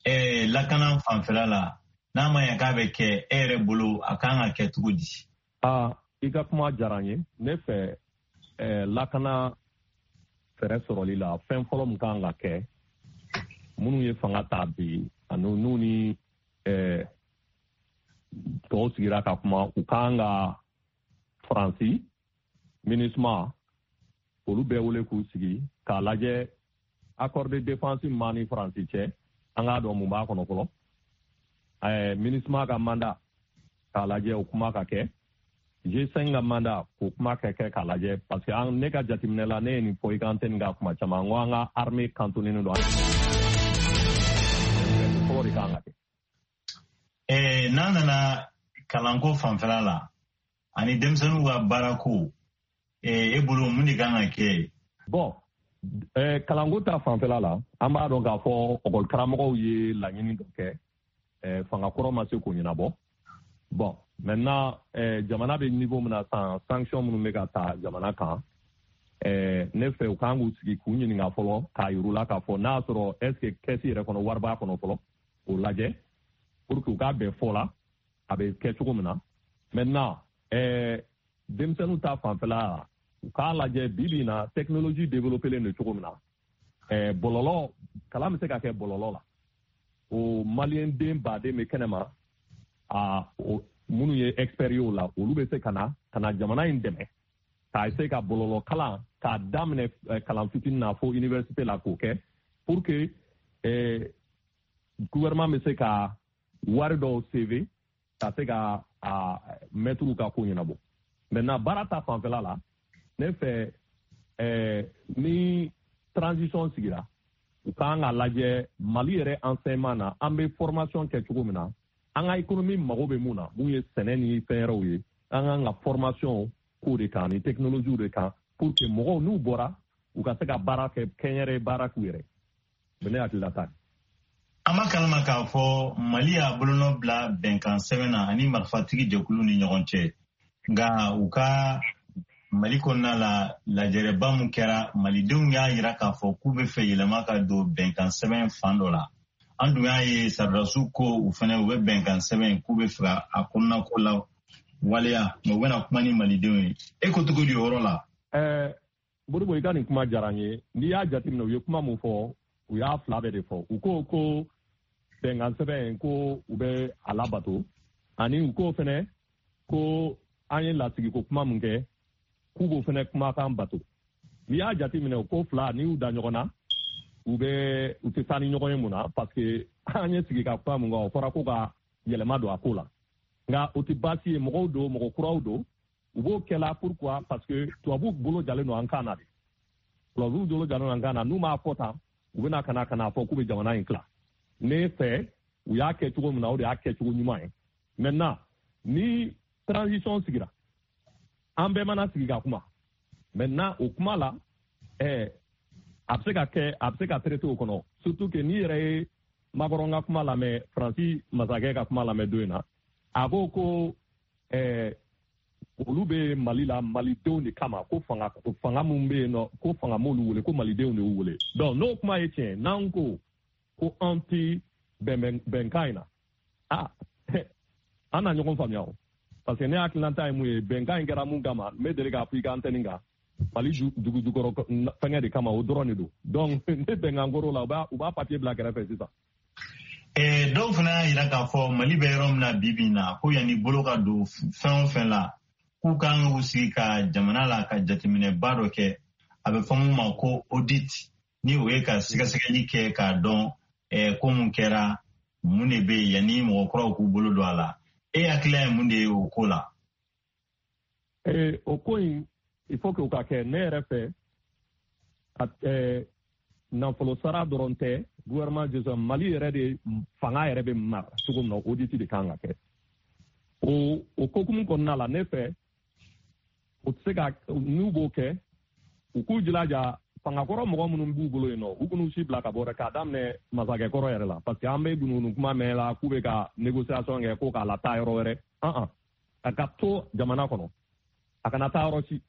lakana fanfɛla la, n'a ma ɲɛ k'a bɛ kɛ, e yɛrɛ bolo, a kan ka kɛ cogo di? Aa, i ka kuma diyara n ye. Ne fɛ, lakana fɛɛrɛ sɔrɔli la, fɛn fɔlɔ min kan ka kɛ, minnu ye fanga ta bi ani n'u ni tɔw sigira ka kuma, u kan ka Faransi, MINUSMA, olu bɛɛ wele k'u sigi k'a lajɛ accord de défense min b'an ni Faransi cɛ, an k'a dɔn mun b'a kɔnɔ fɔlɔ. MINUSMA ka mandat k'a lajɛ, o kuma ka kɛ, G5 ka mandat k'o kuma ka kɛ k'a lajɛ, parce que an ne ka jateminɛ la, ne ye nin fɔ i ka antenne kan kuma caman, n ko an ka armée cantonné don, fɔlɔ de kan ka kɛ. N'an nana kalanko fanfɛla la ani denmisɛnninw ka baarako, e bolo mun de kan ka kɛ? Bon, kalanko ta fanfɛla la, an b'a dɔn k'a fɔ ɔkɔli karamɔgɔw ye laɲini dɔ kɛ, fanga kɔrɔ ma se k'o ɲɛnabɔ. Bon, maintenant, jamana bɛ niveau min na sisan, sanction minnu bɛ ka ta jamana kan, ne fɛ u kan k'u sigi k'u ɲininka fɔlɔ, k'a yir'u la k'a fɔ n'a y'a sɔrɔ est ce que caisse yɛrɛ kɔnɔ wari b'a kɔnɔ fɔlɔ, k'o lajɛ pour que u k'a bɛn fɔ la a bɛ kɛ cogo min na. Maintenant, denmisɛnninw ta fanfɛla la, u k'a lajɛ bi bi in na, technologie développé len don cogo min na, bɔlɔlɔ kalan bɛ se ka kɛ bɔlɔlɔ la. O maliyɛn den baden bɛ kɛnɛma, a minnu ye expert ye o la, olu bɛ se ka na jamana in dɛmɛ k'a essayer ka bɔlɔlɔ kalan k'a daminɛ kalan fitinin na fo université la, k'o kɛ pour que gouvernement bɛ se ka wari dɔw sauver, ka se ka a mɛtiriw ka ko ɲɛnabɔ. Maintenant, baara ta fanfɛla la, ne fɛ, ni transition sigira, u kan ka lajɛ Mali yɛrɛ enseignement na, an bɛ formation kɛ cogo min na, an ka économie mago bɛ mun na, mun ye sɛnɛ ni fɛn wɛrɛw ye, an kan ka formation k'o de kan ni technologie de kan, pour que mɔgɔw n'u bɔra, u ka se ka baara kɛ, kɛnyɛrɛ baara k'u yɛrɛ. O ne hakilila ta ye. An b'a kalama k'a fɔ Mali y'a bolonɔ bila bɛnkan sɛbɛn na ani marifatigi jɛkulu ni ɲɔgɔn cɛ, nka u ka Mali kɔnɔna la, lajɛrɛba mun kɛra, malidenw y'a yira k'a fɔ k'u bɛ fɛ yɛlɛma ka don bɛnkan sɛbɛn fan dɔ la. An dun y'a ye sɔrɔdasiw ko u fɛnɛ u bɛ bɛnkan sɛbɛn k'u bɛ fɛ a kɔnɔna ko la waleya, mɛ u bɛna kuma ni malidenw ye. E ko cogo di o yɔrɔ la? Modibo, i ka nin kuma diyara n ye. N'i y'a jateminɛ, u ye kuma mun fɔ, u y'a fila bɛɛ de fɔ. U ko ko bɛnkan sɛbɛn ko u bɛ a labato, ani u ko fɛnɛ ko an ye lasigiko kuma mun kɛ, k'u b'o fɛnɛ kumakan bato. N'i y'a jateminɛ, o ko fila, n'i y'u da ɲɔgɔn na, u bɛ u tɛ taa ni ɲɔgɔn ye. Mun na? Parce que an ye sigi ka kuma mun kan, o fɔra ko ka yɛlɛma don a ko la. Nka o tɛ baasi ye, mɔgɔw don, mɔgɔ kuraw don, u b'o kɛla. Pourquoi? Parce que tubabuw bolo jalen don an kan na de, tubabuw bolo jalen don an kan na. N'u m'a fɔ tan, u bɛna ka na fɔ k'u bɛ jamana in tila. Ne fɛ, u y'a kɛ cogo min na, o de y'a kɛcogo ɲuman ye. Maintenant, ni transition sigira, an bɛɛ mana sigi ka kuma maintenant, o kuma la, a bɛ se ka kɛ, a bɛ se ka traiter o kɔnɔ. Surtout que n'i yɛrɛ ye Macron ka kuma lamɛn, Faransi masakɛ ka kuma lamɛn don in na, a ko ko olu bɛ Mali la malidenw de kama, ko fanga mun bɛ yen nɔ, ko fanga m'olu wele, ko malidenw de y'u wele. Donc n'o kuma ye tiɲɛ, n'an ko ko an ti bɛn bɛnkan in na, ah, an na ɲɔgɔn faamuya o. Parce que ne hakilinata ye mun ye, bɛnkan in kɛra mun kama, n bɛ deli k'a fɔ i ka antenne kan, Mali dugu jukɔrɔ fɛngɛ de kama, o dɔrɔn de don. Donc ne bɛnkan kɔrɔ la, u b'a papier bila kɛrɛfɛ sisan. Dɔw fana y'a yira k'a fɔ Mali bɛ yɔrɔ min na bi bi in na, ko yanni bolo ka don fɛn o fɛn la, k'u kan k'u sigi ka jamana la ka jateminɛba dɔ kɛ, a bɛ fɔ mun ma ko audit, ni o ye ka sɛgɛsɛgɛli kɛ k'a dɔn ko mun kɛra, mun de bɛ yen, yanni mɔgɔ kuraw k'u bolo don a la. E hakilila ye mun de ye o ko la? O ko in, il faut que o ka kɛ. Ne yɛrɛ fɛ, nafolo sara dɔrɔn tɛ, gouvernement gestion, Mali yɛrɛ de fanga yɛrɛ bɛ mara cogo min na, audit de kan ka kɛ. O kokumu kɔnɔna la, ne fɛ, o tɛ se ka, n'u b'o kɛ, u k'u jilaja fangakɔrɔ mɔgɔ minnu b'u bolo yen nɔ, u k'u si bila ka bɔ dɛ, k'a daminɛ masakɛkɔrɔ yɛrɛ la, parce que an bɛ gunugunu kuma mɛn la k'u bɛ ka négociation kɛ ko k'a lataa yɔrɔ wɛrɛ. An a ka to jamana kɔnɔ, a kana taa yɔrɔ si.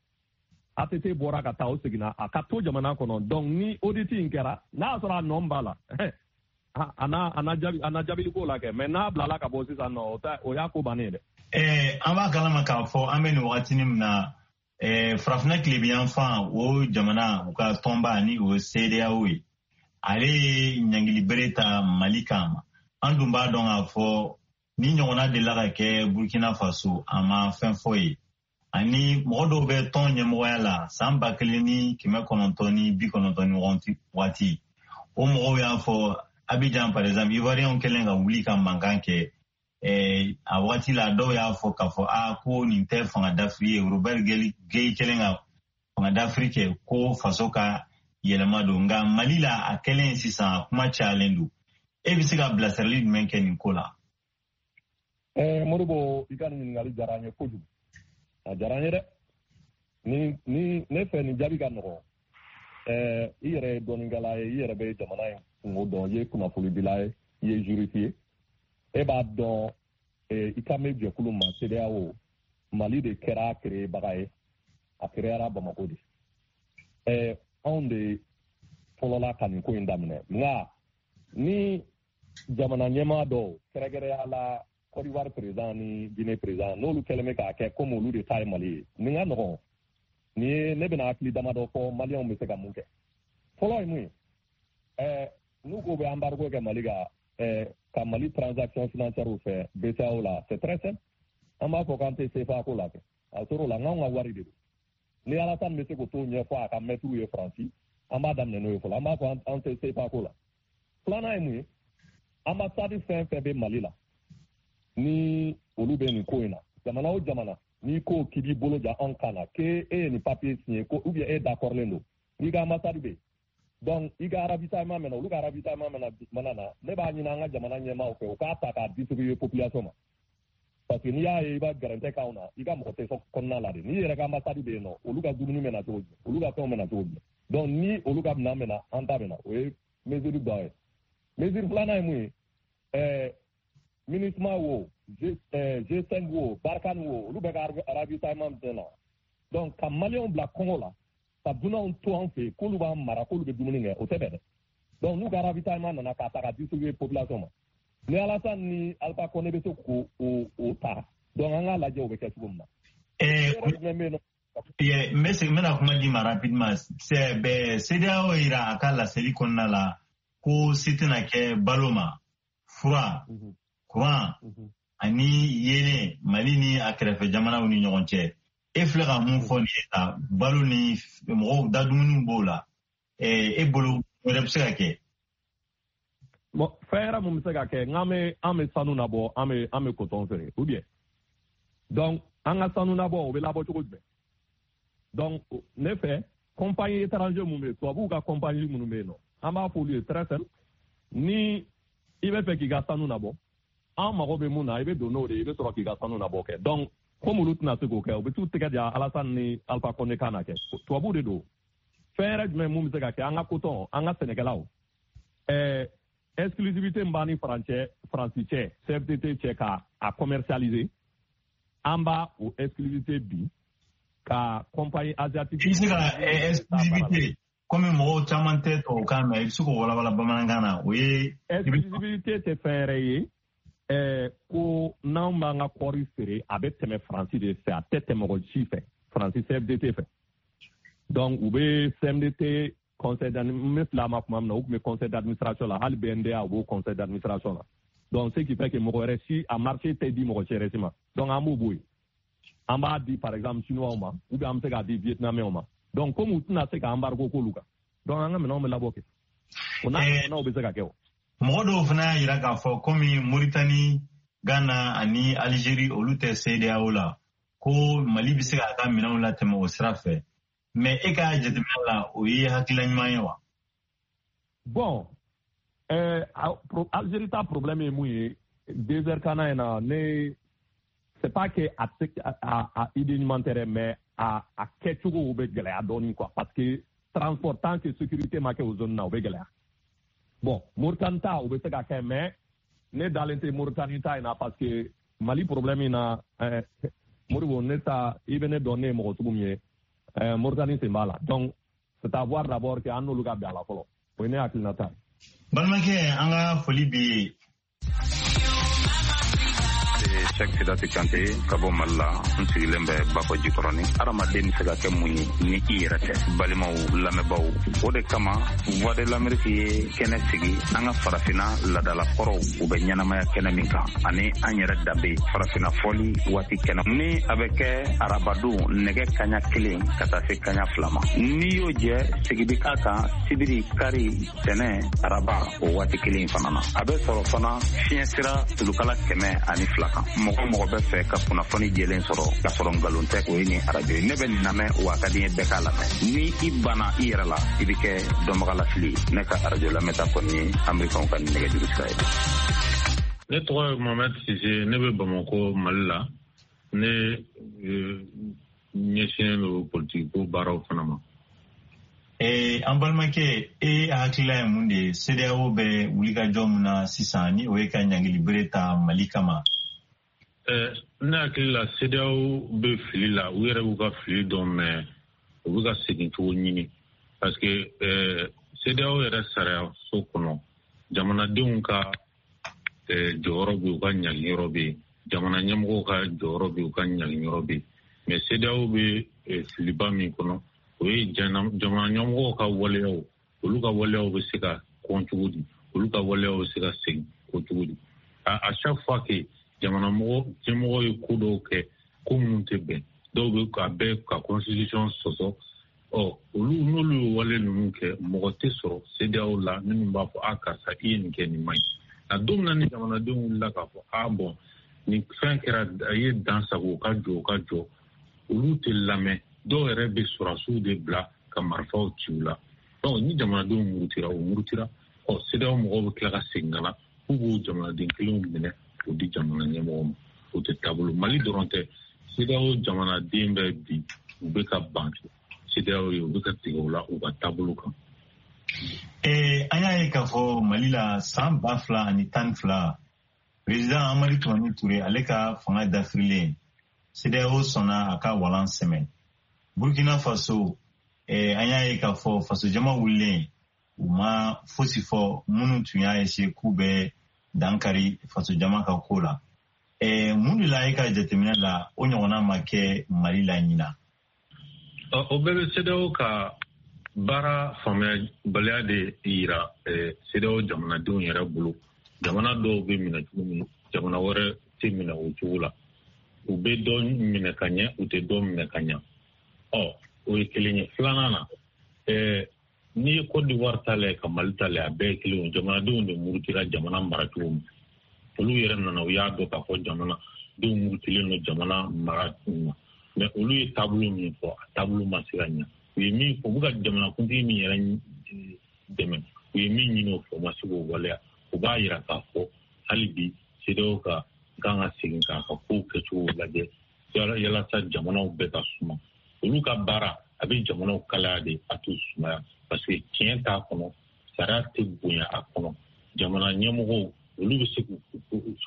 ATT bɔra ka taa, o seginna, a ka to jamana kɔnɔ. Donc ni audit in kɛra, n'a y'a sɔrɔ a nɔ b'a la, a na jaabili ko la kɛ. Mais n'a bilala ka bɔ sisan nɔ, o y'a ko bannen ye dɛ. An b'a kalama k'a fɔ an bɛ nin wagatinin min na, farafinna tilebiyanfan o jamana, u ka tɔnba ni o ye CEDEAO ye, ale ye ɲangili bere ta Mali kan. An dun b'a dɔn k'a fɔ ni ɲɔgɔnna delila ka kɛ Burkina Faso, a ma fɛn fɔ ye. Ani mɔgɔ dɔw bɛ tɔn ɲɛmɔgɔya la san 1990 waati, o mɔgɔw y'a fɔ Abidjan par exemple, Ivoiriyɛnw kɛlen ka wuli ka mankan kɛ. A waati la dɔw y'a fɔ k'a fɔ a ko nin tɛ fanga dafiri ye, Robert Gueï kɛlen ka fanga dafiri kɛ ko faso ka yɛlɛma don. Nka Mali la a kɛlen sisan a kuma cayalen don. E bɛ se ka bilasirali jumɛn kɛ nin ko la? Modibo, i ka nin ɲininkali diyara n ye kojugu. A diyara n ye dɛ. Ni ne fɛ nin jaabi ka nɔgɔn. I yɛrɛ ye dɔnnikɛla ye, i yɛrɛ bɛ jamana in kungo dɔn, i ye kunnafonidila ye, i ye juriste ye. E b'a dɔn i kan bɛ jɛkulu ma CEDEAO, Mali de kɛra créebaga ye, a créera Bamako de. Anw de fɔlɔla ka nin ko in daminɛ. Nka ni jamana ɲɛmaa dɔw, kɛrɛnkɛrɛnya la Côte d'Ivoire président ni Guinée président, n'olu kɛlen bɛ k'a kɛ komi olu de ta ye Mali ye, nin ka nɔgɔn. Nin ye ne bɛna hakili damadɔ fɔ Maliyɛnw bɛ se ka mun kɛ. Fɔlɔ ye mun ye? N'u ko bɛ embargo kɛ Mali kan, ka Mali transaction financière fɛ BCEAO la, c'est très simple. An b'a fɔ k'an tɛ CFA ko la kɛ. A tor'o la, n'anw ka wari de don. Ni Alassane bɛ se k'o t'o ɲɛfɔ a ka maître ye Faransi, an b'a daminɛ n'o ye fɔlɔ. An b'a fɔ an tɛ CFA ko la. Filanan ye mun ye? Ambassade fɛn fɛn bɛ Mali la, ni olu bɛ nin ko in na, jamana o jamana, n'i ko k'i b'i bolo ja anw kan na, k'e ye nin papier signé ko ou bien e d'accordlen don, n'i ka ambassade bɛ yen, donc i ka ravitaillement mɛna, olu ka ravitaillement mana na, ne b'a ɲini an ka jamana ɲɛmaaw fɛ u k'a ta k'a distribuer population ma. Parce que n'i y'a ye i b'a gɛrɛntɛ k'anw na, i ka mɔgɔ tɛ kɔnɔna la de. N'i yɛrɛ ka ambassade bɛ yen nɔ, olu ka dumuni bɛ na cogo jumɛn, olu ka fɛnw bɛ na cogo jumɛn. Donc ni olu ka minɛn bɛ na, an ta bɛ na. O ye mesure dɔ ye. Mesure filanan ye mun ye? MINUSMA wo, G5 wo, Barkhane wo, olu bɛ ka ravitaillement bɛ na. Donc ka Maliyɛnw bila kɔngɔ la, ka dunanw to an fɛ yen k'olu b'an mara, k'olu bɛ dumuni kɛ, o tɛ bɛn dɛ. Donc n'u ka ravitaillement nana k'a ta ka distribuer population ma, ni Alassane ni Alpha Condé bɛ se k'o o ta, donc an k'a lajɛ o bɛ kɛ cogo min na. N bɛ segin, n bɛna kuma di ma rapidement. CEDEAO yira a ka laseli kɔnɔna la ko se tɛna kɛ balo ma, fura, courant ani yeelen Mali ni a kɛrɛfɛ jamanaw ni ɲɔgɔn cɛ. E filɛ ka mun fɔ nin ye tan, balo ni mɔgɔw da dumuniw b'o la. E bolo wɛrɛ bɛ se ka kɛ? Bon, fɛn yɛrɛ mun bɛ se ka kɛ, n'an bɛ an bɛ sanu nabɔ, an bɛ coton feere ou bien. Donc an ka sanu nabɔ, o bɛ labɔ cogo jumɛn? Donc ne fɛ compagnie étranger mun bɛ yen, tubabuw ka compagnie minnu bɛ yen nɔ, an b'a fɔ olu ye très simple, ni i bɛ fɛ k'i ka sanu nabɔ, an mago bɛ mun na, i bɛ don n'o de ye, i bɛ sɔrɔ k'i ka sanu nabɔ kɛ. Donc komi olu tɛna se k'o kɛ, u bɛ t'u tɛgɛ di Alassane ni Alpha Condé kan na kɛ. Tubabuw de don. Fɛn yɛrɛ jumɛn mun bɛ se ka kɛ, an ka coton, an ka sɛnɛkɛlaw, exclusivité min b'an ni Faransi cɛ, CFDT cɛ, ka a commercialiser, an b'a o exclusivité bi ka compagnie asiatique. I bɛ se ka exclusivité, komi mɔgɔw caman tɛ tubabukan mɛn, i bɛ se k'o walawala bamanankan na, o ye. Exclusivité tɛ fɛn wɛrɛ ye, ko n'anw b'an ka kɔɔri feere, a bɛ tɛmɛ Faransi de fɛ, a tɛ tɛmɛ mɔgɔ si fɛ, Faransi CFDT fɛ. Donc u bɛ CMDT conseil d'administration, n bɛ fila ma kuma min na, u tun bɛ conseil d'administration la, hali BNDA u b'o conseil d'administration la. Donc ce qui fait que mɔgɔ wɛrɛ si a marché tɛ di mɔgɔ si wɛrɛ si ma. Donc an b'o bɔ yen. An b'a di par exemple chinois ma, ou bien an bɛ se k'a di vietnamiens ma. Donc comme u tɛna se ka embargo k'olu kan, donc an ka minɛnw bɛ labɔ kɛ. O n'a ɲɔgɔnnaw bɛ se ka kɛ o. Mɔgɔ dɔw fana y'a jira k'a fɔ komi Mauritanie, Ghana ani Algérie olu tɛ CEDEAO la, ko Mali bɛ se k'a ka minɛnw latɛmɛ o sira fɛ. Mais e ka jateminɛ la, o ye hakilina ɲuman ye wa? Bon, Algérie ta problème ye mun ye, désert kana in na, ne c'est pas que a idée ɲuman tɛ dɛ, mais a kɛcogo bɛ gɛlɛya dɔɔnin quoi, parce que transport, tant que sécurité ma kɛ o zone na, o bɛ gɛlɛya. Bon, Mauritanie ta o bɛ se ka kɛ, mais ne dalen tɛ Mauritanie ta in na, parce que Mali problème in na, Modibo, ne ta i bɛ ne dɔn, ne ye mɔgɔ sugu min ye, Mauritanie sen b'a la. Donc c'est à voir d'abord que an n'olu ka bɛn a la fɔlɔ. O ye ne hakilinata ye. Balimakɛ, an ka foli b'i ye. Cheick Sidati Kante ka bɔ Mali la, n sigilen bɛ Bakɔ Jikɔrɔni. Hadamaden bɛ se ka kɛ mun ye ni i yɛrɛ tɛ? Balimaw, lamɛnbaaw, o de kama Voix de l'Amérique ye kɛnɛ sigi an ka farafinna ladalakɔrɔw u bɛ ɲɛnamaya kɛnɛ min kan, ani an yɛrɛ danbe farafinna fɔli waati kɛnɛ ni a bɛ kɛ arabadon nɛgɛ kaɲa 1 ka taa se kaɲa 2 ma. N'i y'o jɛ, sigi bɛ k'a kan sibiri, kari, tɛnɛ, araba o waati kelen fana na. A bɛ sɔrɔ fana fiɲɛ sira tulukala 102 kan. Mɔgɔ mɔgɔ bɛ fɛ ka kunnafoni jɛlen sɔrɔ k'a sɔrɔ nkalon tɛ, o ye nin arajo ye. Ne bɛ nin lamɛn, wa a ka di n ye bɛɛ k'a lamɛn. Ni i banna i yɛrɛ la, i bɛ kɛ dɔnbagalafili ye. Ne ka arajo lamɛnta kɔni ye Amerikɛnw ka nin nɛgɛjuru sira ye. Ne tɔgɔ ye Mohamed Sise, ne bɛ Bamakɔ, Mali la. Ne ɲɛsinnen don politiki ko baaraw fana ma. An balimakɛ, e hakilila ye mun de ye CEDEAO bɛ wulikajɔ mun na sisan, ni o ye ka ɲangili bere ta Mali kama? Ne hakili la, CEDEAO bɛ fili la. U yɛrɛ b'u ka fili dɔn, mais u bɛ ka segin cogo ɲini, parce que CEDEAO yɛrɛ sariya so kɔnɔ, jamanadenw ka jɔyɔrɔ bɛ yen, u ka ɲangiyɔrɔ bɛ yen, jamana ɲɛmɔgɔw ka jɔyɔrɔ bɛ yen, u ka ɲangiyɔrɔ bɛ yen. Mais CEDEAO bɛ filiba min kɔnɔ, o ye jamana ɲɛmɔgɔw ka waleyaw, olu ka waleyaw bɛ se ka kɔn cogo di, olu ka waleyaw bɛ se ka segin kɔ cogo di. À chaque fois que jamana ɲɛmɔgɔ ye ko dɔw kɛ, ko minnu tɛ bɛn, dɔw bɛ ka bɛɛ ka constitution sɔsɔ, ɔ olu n'olu ye wale ninnu kɛ, mɔgɔ tɛ sɔrɔ CEDEAO la minnu b'a fɔ a karisa, i ye nin kɛ, nin man ɲi. Nka don min na ni jamanadenw wulila k'a fɔ a bɔn, nin fɛn kɛra, a ye dan sago, u ka jɔ, u ka jɔ, olu tɛ lamɛn. Dɔw yɛrɛ bɛ sɔrɔdasiw de bila ka marifaw ci u la. Donc ni jamanadenw murutira, u murutira, ɔ CEDEAO mɔgɔw bɛ tila ka segin ka na k'u b'o jamanaden kelenw minɛ k'o di jamana ɲɛmɔgɔ ma. O tɛ taabolo. Mali dɔrɔn tɛ, CEDEAO jamanaden bɛɛ bi u bɛ ka ban CEDEAO ye, u bɛ ka tigɛ u la u ka taabolo kan. An y'a ye k'a fɔ Mali la san 2012, président Amadu Tumani Ture, ale ka fanga dafirilen, CEDEAO sɔnna a ka walan sɛmɛ. Burkina Faso, an y'a ye k'a fɔ fasojama wulilen, u ma fosi fɔ minnu tun y'a essayer k'u bɛ dankari fasojama ka ko la. Mun de la e ka jateminɛ la, o ɲɔgɔnna ma kɛ Mali la ɲina? O bɛɛ bɛ CEDEAO ka baara faamuyabaliya de yira CEDEAO jamanadenw yɛrɛ bolo. Jamana dɔw bɛ minɛ cogo min, jamana wɛrɛ tɛ minɛ o cogo la. U bɛ dɔ minɛ ka ɲɛ, u tɛ dɔ minɛ ka ɲɛ. Ɔ o ye kelen ye. Filanan na, n'i ye Côte d'Ivoire ta lajɛ ka Mali ta lajɛ, a bɛɛ ye kelen ye. Jamanadenw de murutira jamana maracogo ma. Olu yɛrɛ nana, u y'a dɔn k'a fɔ jamanadenw murutilen don jamana mara ma. Mais olu ye taabolo min fɔ, a taabolo ma se ka ɲɛ. U ye min fɔ, u bɛ ka jamanakuntigi min yɛrɛ dɛmɛ, u ye min ɲini o fɛ, u ma se k'o waleya. O b'a yira k'a fɔ hali bi CEDEAO ka kan ka segin k'a ka kow kɛcogo lajɛ yalasa jamanaw bɛɛ ka suma. Olu ka baara a bɛ jamanaw kalaya de, a t'u sumaya, parce que tiɲɛ t'a kɔnɔ, sariya tɛ bonya a kɔnɔ. Jamana ɲɛmɔgɔw, olu bɛ se k'u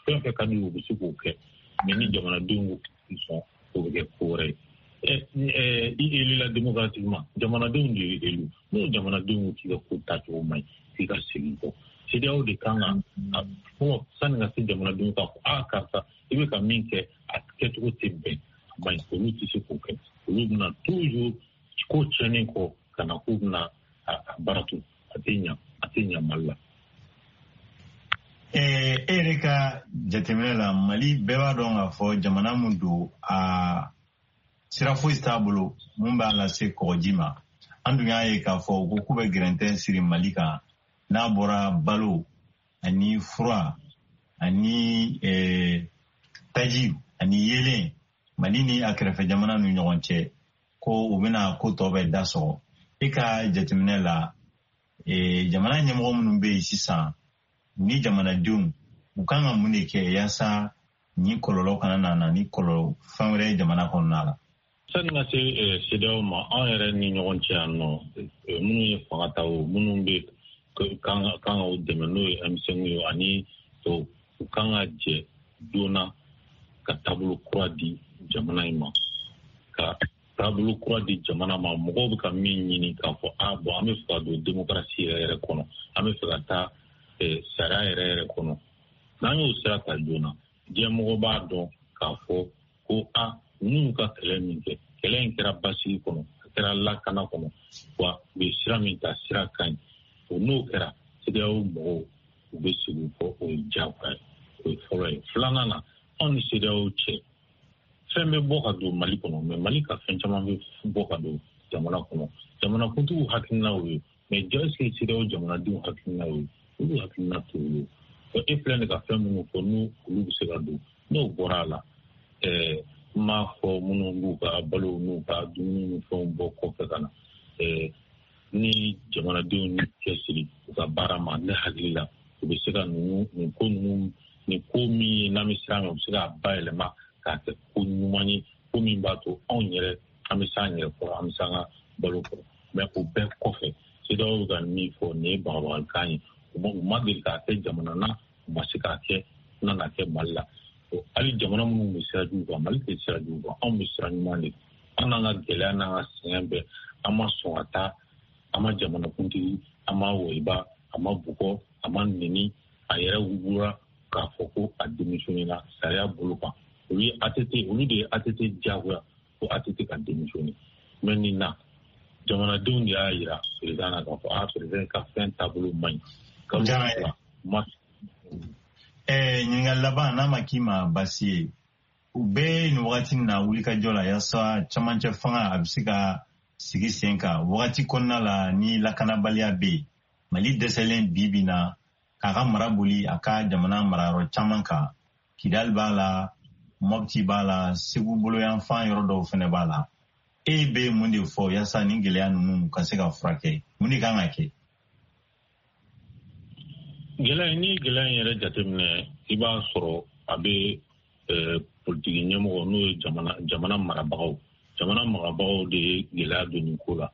fɛn fɛn ka di u bɛ se k'o kɛ, mais ni jamanadenw ko sɔn, o bɛ kɛ ko wɛrɛ ye. I élu la démocratiquement, jamanadenw de ye élu. N'o jamanadenw ko k'i ka ko taacogo man ɲi, k'i ka segin kɔ, CEDEAO de kan ka fɔlɔ sani ka se jamanadenw k'a fɔ a karisa, i bɛ ka min kɛ, a kɛcogo tɛ bɛn, a man ɲi. Olu tɛ se k'o kɛ. Olu bɛna toujours ko tiɲɛnen kɔ ka na k'u bɛna a baara to. A tɛ ɲa, a tɛ ɲa Mali la. E yɛrɛ ka jateminɛ la, Mali, bɛɛ b'a dɔn k'a fɔ jamana mun don, a sira foyi t'a bolo mun b'a lase kɔgɔji ma. An dun y'a ye k'a fɔ u ko k'u bɛ gɛrɛntɛ siri Mali kan, n'a bɔra balo ani fura ani taji ani yelen, Mali ni a kɛrɛfɛ jamana ni ɲɔgɔn cɛ, ko u bɛna ko tɔ bɛɛ da sɔgɔ. E ka jateminɛ la, jamana ɲɛmɔgɔ minnu bɛ yen sisan ni jamanadenw, u kan ka mun de kɛ yaasa ni kɔlɔlɔ kana na ni kɔlɔlɔ fɛn wɛrɛ ye jamana kɔnɔna la? Sani ka se CEDEAO ma, an yɛrɛ ni ɲɔgɔn cɛ yan nɔ, minnu ye fanga ta, o minnu bɛ kan ka o dɛmɛ, n'o ye M5 ye ani tɔw, u kan ka jɛ joona ka taabolo kura di jamana in ma, ka taabolo kura di jamana ma. Mɔgɔw bɛ ka min ɲini k'a fɔ a bɔn, an bɛ fɛ ka don démocratie yɛrɛ yɛrɛ kɔnɔ, an bɛ fɛ ka taa sariya yɛrɛ yɛrɛ kɔnɔ. N'an y'o sira ta joona, diɲɛmɔgɔ b'a dɔn. k'a fɔ ko a ninnu ka kɛlɛ min kɛ, kɛlɛ in kɛra basigi kɔnɔ, a kɛra lakana kɔnɔ, wa u ye sira min ta, sira ka ɲi. O n'o kɛra, CEDEAO mɔgɔw u bɛ segin kɔ, o ye diyagoya ye. O ye fɔlɔ ye. Filanan na, anw ni CEDEAO cɛ, fɛn bɛ bɔ ka don Mali kɔnɔ, mais Mali ka fɛn caman bɛ bɔ ka don jamana kɔnɔ. Jamanakuntigiw hakilina y'o ye, mais est ce que CEDEAO jamanadenw hakilina y'o ye? Olu hakilina t'o ye. E filɛ nin ka fɛn minnu fɔ, n'u olu bɛ se ka don, n'o bɔra a la, n m'a fɔ minnu b'u ka balo n'u ka dumuni ni fɛnw bɔ kɔfɛ ka na, ni jamanadenw ni cɛsiri u ka baara ma, ne hakili la u bɛ se ka nin ko ninnu, nin ko min ye n'an bɛ siran, u bɛ se k'a bayɛlɛma k'a kɛ ko ɲuman ye, ko min b'a to anw yɛrɛ an bɛ s'an yɛrɛ kɔrɔ, an bɛ s'an ka balo kɔrɔ. Mais o bɛɛ kɔfɛ, CEDEAO bɛ ka min fɔ, nin ye bagabagalikan ye. U ma deli k'a kɛ jamana na, u ma se k'a kɛ, u nana kɛ Mali la. Hali jamana minnu bɛ sira jugu kan, Mali tɛ sira jugu kan, anw bɛ sira ɲuman de kan. An n'an ka gɛlɛya n'an ka sɛgɛn bɛɛ, an ma sɔn ka taa, an ma jamanakuntigi, an ma wɔyiba, a ma bugɔ, a ma neni, a yɛrɛ wugura k'a fɔ ko a démissionné na sariya bolo kan. Olu ye ATT, olu de ye ATT diyagoya ko ATT ka démissionné. Mais nin na, jamanadenw de y'a yira président na k'a fɔ a président ka fɛn taabolo man ɲi. Kalo fila ma. Ɲininkali laban, n'a ma k'i ma baasi ye, u bɛ nin wagati in na wulikajɔ la yaasa camancɛ fanga a bɛ se ka sigi sen kan wagati kɔnɔna la ni lakanabaliya bɛ yen. Mali dɛsɛlen bi bi na k'a ka mara boli a ka jamana marayɔrɔ caman kan. Kidali b'a la, Mopti b'a la, Segu boloyanfan yɔrɔ dɔw fɛnɛ b'a la. E bɛ mun de fɔ yaasa nin gɛlɛya ninnu ka se ka furakɛ? Mun de kan ka kɛ? Gɛlɛya, n'i ye gɛlɛya in yɛrɛ jateminɛ, i b'a sɔrɔ a bɛ politiki ɲɛmɔgɔ, n'o ye jamana marabagaw. Jamana marabagaw de ye gɛlɛya don nin ko la.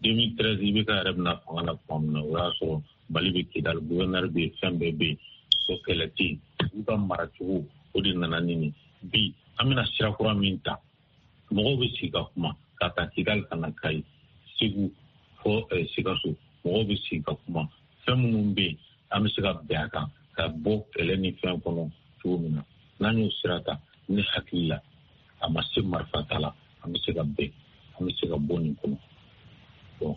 2013 IBK yɛrɛ bɛna fanga la tuma min na, o y'a sɔrɔ Mali bɛ Kidali, gouverneur bɛ yen, fɛn bɛɛ bɛ yen, o kɛlɛ tɛ yen. Olu ka maracogo, o de nana ni nin. Bi an bɛna sira kura min ta, mɔgɔw bɛ sigi ka kuma, ka taa Kidali ka na Kayi, Segu fɔ Sikaso, mɔgɔw bɛ sigi ka kuma. Fɛn minnu bɛ yen, an bɛ se ka bɛn a kan ka bɔ kɛlɛ ni fɛn kɔnɔ cogo min na. N'an y'o sira ta, ne hakili la, a ma se marifa ta la, an bɛ se ka bɛn, an bɛ se ka bɔ nin kɔnɔ. Bon,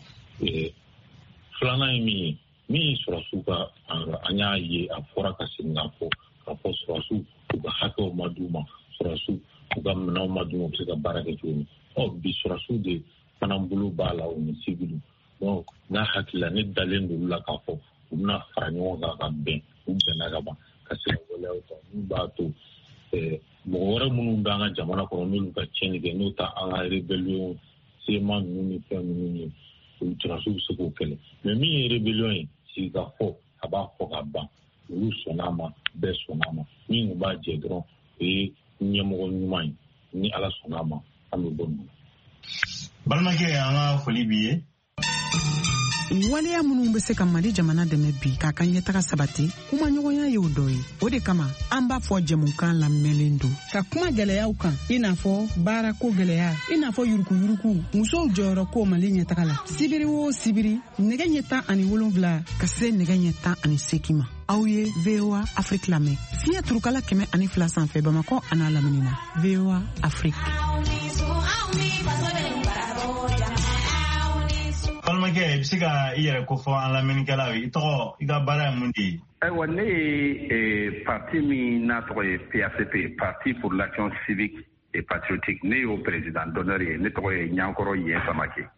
filanan ye min ye, min ye sɔrɔsiw ka, an y'a ye, a fɔra ka segin k'a fɔ, k'a fɔ sɔrɔsiw u ka hakɛw ma d'u ma, sɔrɔsiw u ka minɛnw ma d'u ma, u bɛ se ka baara kɛ cogo min. Bi sɔrɔsiw de fana bolo b'a la, u ni civil. Donc n'a hakili la, ne dalen don olu la k'a fɔ u bɛna fara ɲɔgɔn kan ka bɛn, u bɛnna ka ban ka se ka waleyaw ta min b'a to mɔgɔ wɛrɛ minnu bɛ an ka jamana kɔnɔ, n'olu ka tiɲɛni kɛ, n'o ta an ka rébellion CMA ninnu ni fɛn ninnu ye, olu sɔrɔsiw bɛ se k'o kɛlɛ. Mais min ye rébellion ye, sigikafɔ, a b'a fɔ ka ban, olu sɔnna a ma, bɛɛ sɔnna a ma. Min b'a jɛ dɔrɔn, o ye ɲɛmɔgɔ ɲuman ye. Ni Ala sɔnna a ma, an bɛ bɔ nin na. Balimakɛ, an ka foli b'i ye. Waleya minnu bɛ se ka Mali jamana dɛmɛ bi k'a ka ɲɛtaga sabati, kumaɲɔgɔnya y'o dɔ ye. O de kama an b'a fɔ jɛmukan lamɛnlen don ka kuma gɛlɛyaw kan, i n'a fɔ baarako gɛlɛya, i n'a fɔ yurukuyuruku, musow jɔyɔrɔ ko Mali ɲɛtaga la. Sibiri o sibiri, nɛgɛ ɲɛ 17 ka se nɛgɛ ɲɛ 18 ma, aw ye VOA Afrique lamɛn fiɲɛ turukala 102 sanfɛ Bamakɔ an'a lamini na. VOA Afrique. Balimakɛ, i bɛ se ka i yɛrɛ kofɔ an lamɛnnikɛlaw ye? I tɔgɔ, i ka baara ye mun de ye? Ayiwa, ne ye parti min n'a tɔgɔ ye PACP, Parti pour l'action civique et patriotique, ne y'o président d'honneur ye. Ne tɔgɔ ye Ɲankɔrɔ Yen Samake.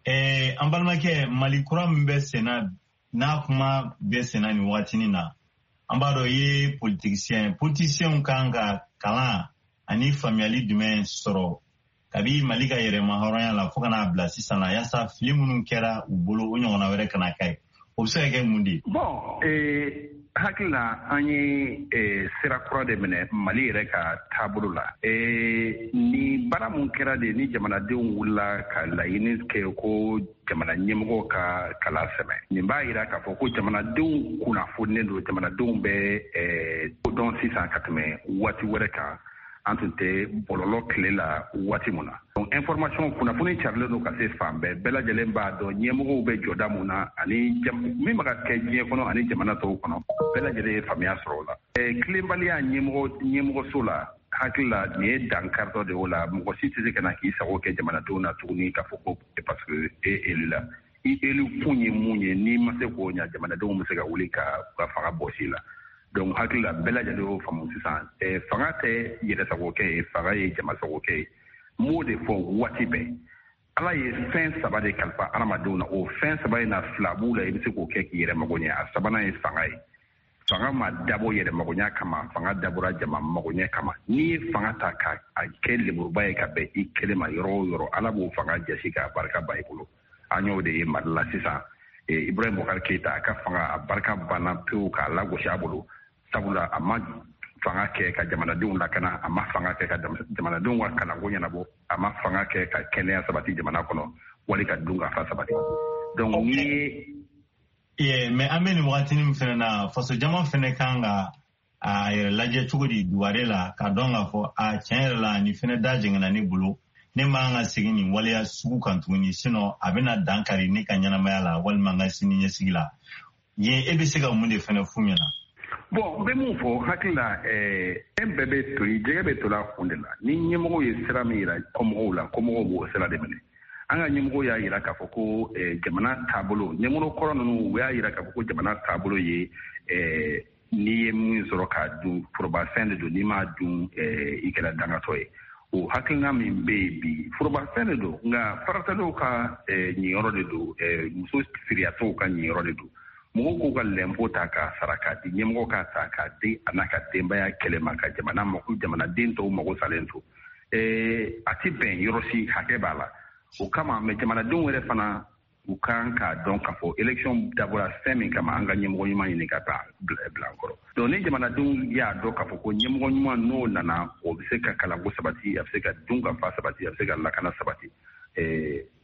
An balimakɛ, Mali kura min bɛ senna, n'a kuma bɛ senna nin wagatinin na, an b'a dɔn i ye politicien. Politicien kan ka kalan ani faamuyali jumɛn sɔrɔ kabi Mali ka yɛrɛma hɔrɔnya la fo ka n'a bila sisan na, yaasa fili minnu kɛra u bolo, o ɲɔgɔnna wɛrɛ kana kɛ? O bɛ se ka kɛ mun de ye? Bon, hakili la, an ye sira kura de minɛ Mali yɛrɛ ka taabolo la. Ni baara mun kɛra de, ni jamanadenw wulila ka laɲini kɛ ko jamana ɲɛmɔgɔ ka kala sɛmɛ, nin b'a yira k'a fɔ ko jamanadenw kunnafoninen don, jamanadenw bɛ dɔn sisan ka tɛmɛ waati wɛrɛ kan. An tun tɛ bɔlɔlɔ tile la waati mun na. Donc information, kunnafoni carilen don ka se fan bɛɛ, bɛɛ lajɛlen b'a dɔn ɲɛmɔgɔw bɛ jɔda mun na ani min bɛ ka kɛ diɲɛ kɔnɔ ani jamana tɔw kɔnɔ, bɛɛ lajɛlen ye faamuya sɔrɔ o la. Tilenbaliya ɲɛmɔgɔso la, Hakili la nin ye dankaritɔ de o la. Mɔgɔ si tɛ se ka na k'i sago kɛ jamanadenw na tuguni k'a fɔ ko parce que e élu la. I élu kun ye mun ye? N'i ma se k'o ɲa, jamanadenw bɛ se ka wuli ka u ka fanga bɔsi la. Donc hakili la bɛɛ lajɛlen y'o faamu sisan. Fanga tɛ yɛrɛsagokɛ ye, fanga ye jamasagokɛ ye. N b'o de fɔ waati bɛɛ. Ala ye fɛn saba de kalifa adamadenw na. O fɛn saba in na, fila b'u la i bɛ se k'o kɛ k'i yɛrɛ mago ɲɛ. A sabanan ye fanga ye. Fanga ma dabɔ yɛrɛ magoɲa kama, fanga dabɔra jama magoɲɛ kama. N'i ye fanga ta ka a kɛ lemuruba ye ka bɛn i kelen ma yɔrɔ o yɔrɔ, Ala b'o fanga jasi k'a barika ba i bolo. An y'o de ye Mali la sisan. Ibrahim Boubacar Keita, a ka fanga a barika banna pewu k'a lagosi a bolo, sabula a ma fanga kɛ ka jamanadenw lakana, a ma fanga kɛ ka jamanadenw ka kalanko ɲɛnabɔ, a ma fanga kɛ ka kɛnɛya sabati jamana kɔnɔ wali ka dunkafa sabati. Donc n'i ye mais an bɛ nin wagatinin min fɛnɛ na, faso jama fɛnɛ kan ka a yɛrɛ lajɛ cogo di duware la, k'a dɔn k'a fɔ a tiɲɛ yɛrɛ la nin fɛnɛ da jɛngɛnna ne bolo, ne man ka segin nin waleya sugu kan tuguni, sinon a bɛna dan kari ne ka ɲɛnamaya la walima n ka sini ɲɛsigi la. Yen e bɛ se ka mun de fɛnɛ f'u ɲɛna? Bon, n bɛ mun fɔ hakili la, fɛn bɛɛ bɛ toli, jɛgɛ bɛ toli a kun de la. Ni ɲɛmɔgɔw ye sira min yira kɔmɔgɔw la, kɔmɔgɔw b'o sira de minɛ. An ka ɲɛmɔgɔw y'a yira k'a fɔ ko jamana taabolo, ɲɛmɔgɔ kɔrɔ ninnu, u y'a yira k'a fɔ ko jamana taabolo ye n'i ye min sɔrɔ k'a dun, forobafɛn de don, n'i m'a dun i kɛra dangatɔ ye. O hakilina min bɛ yen bi, forobafɛn de don, nka faratɛliw ka ɲiyɔrɔ de don, muso siriyatɔw ka ɲiyɔrɔ de don. Mɔgɔw k'u ka lɛnpo ta k'a sara k'a di ɲɛmɔgɔ, k'a ta k'a di a n'a ka denbaya kɛlɛ ma, ka jamana mako, jamanaden tɔw mago salen to. A ti bɛn yɔrɔ si, hakɛ b'a la. O kama mɛ jamanadenw yɛrɛ fana, u kan k'a dɔn k'a fɔ élection dabɔra fɛn min kama, an ka ɲɛmɔgɔ ɲuman ɲini ka taa bila an kɔrɔ. Donc ni jamanadenw y'a dɔn k'a fɔ ko ɲɛmɔgɔ ɲuman n'o nana, o bɛ se ka kalanko sabati, a bɛ se ka dunkafa sabati, a bɛ se ka lakana sabati,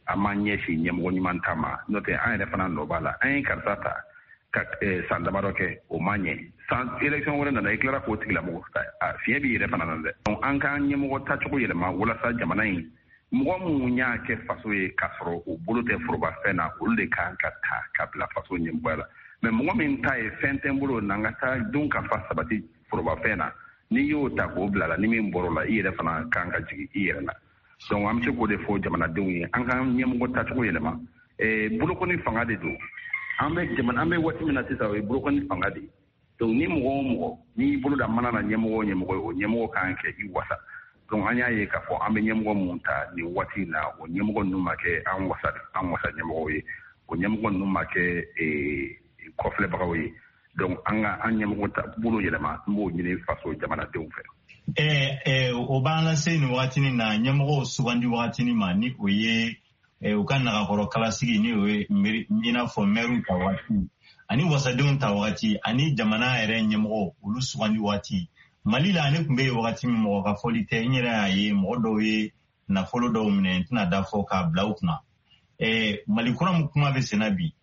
an m'an ɲɛsin ɲɛmɔgɔ ɲuman ta ma. N'o tɛ, an yɛrɛ fana nɔ b'a la. An ye karisa ta ka san damadɔ kɛ, o ma ɲɛ. San élection wɛrɛ nana, i tilara k'o tigilamɔgɔ ta, fiɲɛ b'i yɛrɛ fana na dɛ. Donc an k'an ɲɛmɔgɔ tacogo yɛlɛma walasa jamana in, mɔgɔ minnu y'a kɛ faso ye k'a sɔrɔ u bolo tɛ forobafɛn na, olu de kan ka ta ka bila faso ɲɛmɔgɔya la. Mais mɔgɔ min ta ye fɛn tɛ n bolo na, n ka taa dun ka fa sabati forobafɛn na, n'i y'o ta k'o bila la, ni min bɔr'o la, i yɛrɛ fana kan ka jigin i yɛrɛ la. Donc an bɛ se k'o de fɔ jamanadenw ye, an k'an ɲɛmɔgɔ tacogo yɛlɛma. Bolokɔni fanga de don. An bɛ jamana, an bɛ waati min na sisan, o ye bolokɔni fanga de ye. Donc ni mɔgɔ o mɔgɔ n'i bolo da mana na ɲɛmɔgɔ o ɲɛmɔgɔ ye, o ɲɛmɔgɔ kan kɛ i wasa. Donc an y'a ye k'a fɔ an bɛ ɲɛmɔgɔ mun ta nin waati in na, o ɲɛmɔgɔ ninnu ma kɛ an wasa, an wasa ɲɛmɔgɔw ye, o ɲɛmɔgɔ ninnu ma kɛ kɔfilɛbagaw ye. Donc an ka an ɲɛmɔgɔ ta bolo yɛlɛma, n b'o ɲini faso jamanadenw fɛ. O b'an lase nin wagatinin na ɲɛmɔgɔw sugandi wagatinin ma, ni o ye u ka nagakɔrɔ kalasigi, ni o ye i n'a fɔ mɛriw ta waati ani wasadenw ta waati ani jamana yɛrɛ ɲɛmɔgɔw olu sugandi waati. Mali la, ne tun bɛ yen wagati min, mɔgɔ ka fɔli tɛ, n yɛrɛ y'a ye mɔgɔ dɔw ye nafolo dɔw minɛ, n tɛna da fɔ, k'a bila u kunna. Mali kura min kuma bɛ senna bi,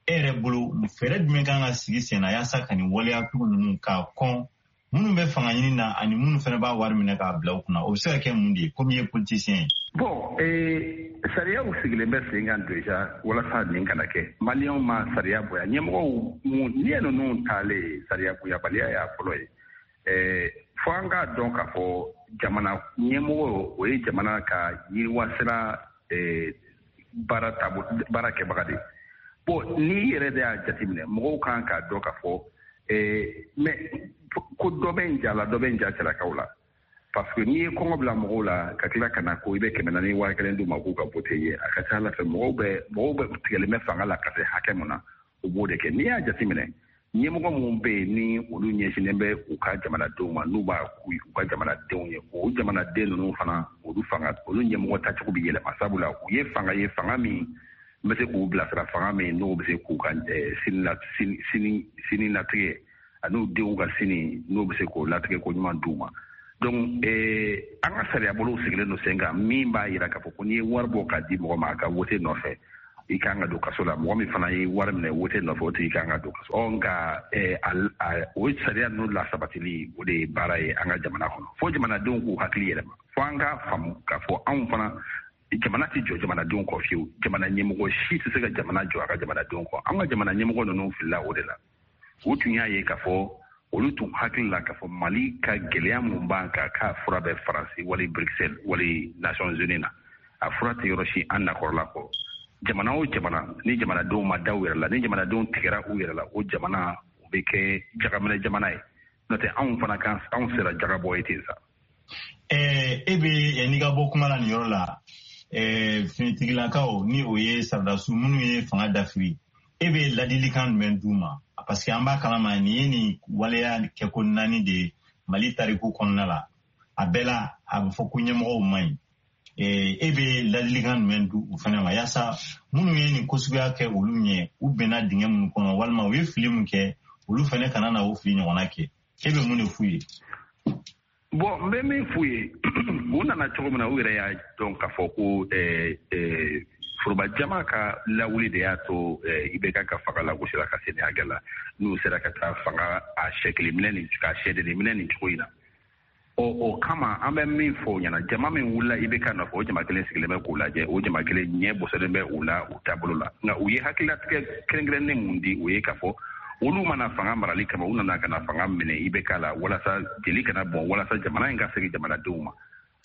e yɛrɛ bolo, fɛɛrɛ jumɛn kan ka sigi sen na yaasa ka nin waleya sugu ninnu k'a kɔn, minnu bɛ fanga ɲini na ani minnu fana b'a wari minɛ k'a bila u kunna? O bɛ se ka kɛ mun de ye, komi i ye politicien ye? Bon, sariyaw sigilen bɛ sen kan déjà walasa nin kana kɛ. Maliyɛnw ma sariya bonya. Ɲɛmɔgɔw n'i ye ninnu taalen, sariya bonyabaliya y'a fɔlɔ ye. Fo an k'a dɔn k'a fɔ jamana ɲɛmɔgɔ, o ye jamana ka yiriwa sira baara taabolo baara kɛbaga de ye. Bon, n'i yɛrɛ de y'a jateminɛ, mɔgɔw kan k'a dɔn k'a fɔ mais ko dɔ bɛ n ja la, dɔ bɛ n ja cɛlakaw la, parce que n'i ye kɔngɔ bila mɔgɔw la ka tila ka na ko i bɛ 400 5000 d'u ma k'u ka vote ye, a ka ca ala fɛ mɔgɔw bɛ tigɛlen bɛ fanga la ka se hakɛ mun na, u b'o de kɛ. N'i y'a jateminɛ, ɲɛmɔgɔ minnu bɛ yen ni olu ɲɛsinnen bɛ u ka jamanadenw ma, n'u b'a k'u u ka jamanadenw ye, o jamanaden ninnu fana, olu fanga, olu ɲɛmɔgɔ tacogo bɛ yɛlɛma, sabula u ye fanga ye, fanga min bɛ se k'u bilasira, fanga min n'u bɛ se k'u ka sini latigɛ ani denw ka sini, n'u bɛ se k'o latigɛ ko ɲuman d'u ma. Donc an ka sariya bolow sigilen don sen kan min b'a yira k'a fɔ ko n'i ye wari bɔ k'a di mɔgɔ ma a ka wote nɔfɛ, i kan ka don kaso la. Mɔgɔ min fana ye wari minɛ wote nɔfɛ, o tigi kan ka don kaso. Ɔ nka o sariya ninnu lasabatili, o de ye baara ye an ka jamana kɔnɔ. Fo jamanadenw k'u hakili yɛlɛma, fo an k'a faamu k'a fɔ anw fana, jamana tɛ jɔ jamanadenw kɔ fiyewu. Jamana ɲɛmɔgɔ si tɛ se ka jamana jɔ a ka jamanadenw kɔ. An ka jamana ɲɛmɔgɔ ninnu filila o de la. U tun y'a ye k'a fɔ Olu tun hakili la k'a fɔ Mali ka gɛlɛya mun b'an kan, k'a fura bɛ Faransi wali Bruxelles wali Nations Unies na. A fura tɛ yɔrɔ si an nakɔrɔla kɔ. Jamana o jamana, ni jamanadenw ma da u yɛrɛ la, ni jamanadenw tigɛra u yɛrɛ la, o jamana o bɛ kɛ jagaminɛ jamana ye. N'o tɛ, anw fana kan, anw sera jagabɔ ye ten sa. E bɛ yanni ka bɔ kuma la nin yɔrɔ la, finitigilakaw, ni o ye sɔrɔdasiw minnu ye fanga dafiri, e bɛ ladilikan jumɛn d'u ma? Parce que an b'a kalama, nin ye nin waleya kɛko naani de ye Mali tariku kɔnɔna la. A bɛɛ la, a bɛ fɔ ko ɲɛmɔgɔw man ɲi. E bɛ ladilikan jumɛn di u fana ma, yaasa minnu ye nin ko suguya kɛ olu ɲɛ, u bɛnna dingɛ minnu kɔnɔ walima u ye fili min kɛ, olu fana kana na o fili ɲɔgɔnna kɛ? E bɛ mun de f'u ye? Bon, n bɛ min f'u ye, u nana cogo min na, u yɛrɛ y'a dɔn k'a fɔ ko foroba jama ka lawuli de y'a to IBK ka fanga lagosira ka se nin hakɛ la, n'u sera ka taa fanga a sɛkili minɛ nin ka sɛdennin minɛ nin cogo in na. Ɔ, o kama, an bɛ min fɔ o ɲɛna, jama min wulila IBK nɔfɛ, o jama kelen sigilen bɛ k'u lajɛ, o jama kelen ɲɛ bɔsɔlen bɛ u la u taabolo la. Nka u ye hakililatigɛ kɛrɛnkɛrɛnnen mun di, o ye k'a fɔ olu mana fanga marali kama, u nana ka na fanga minɛ IBK la walasa jeli kana bɔn, walasa jamana in ka segin jamanadenw ma.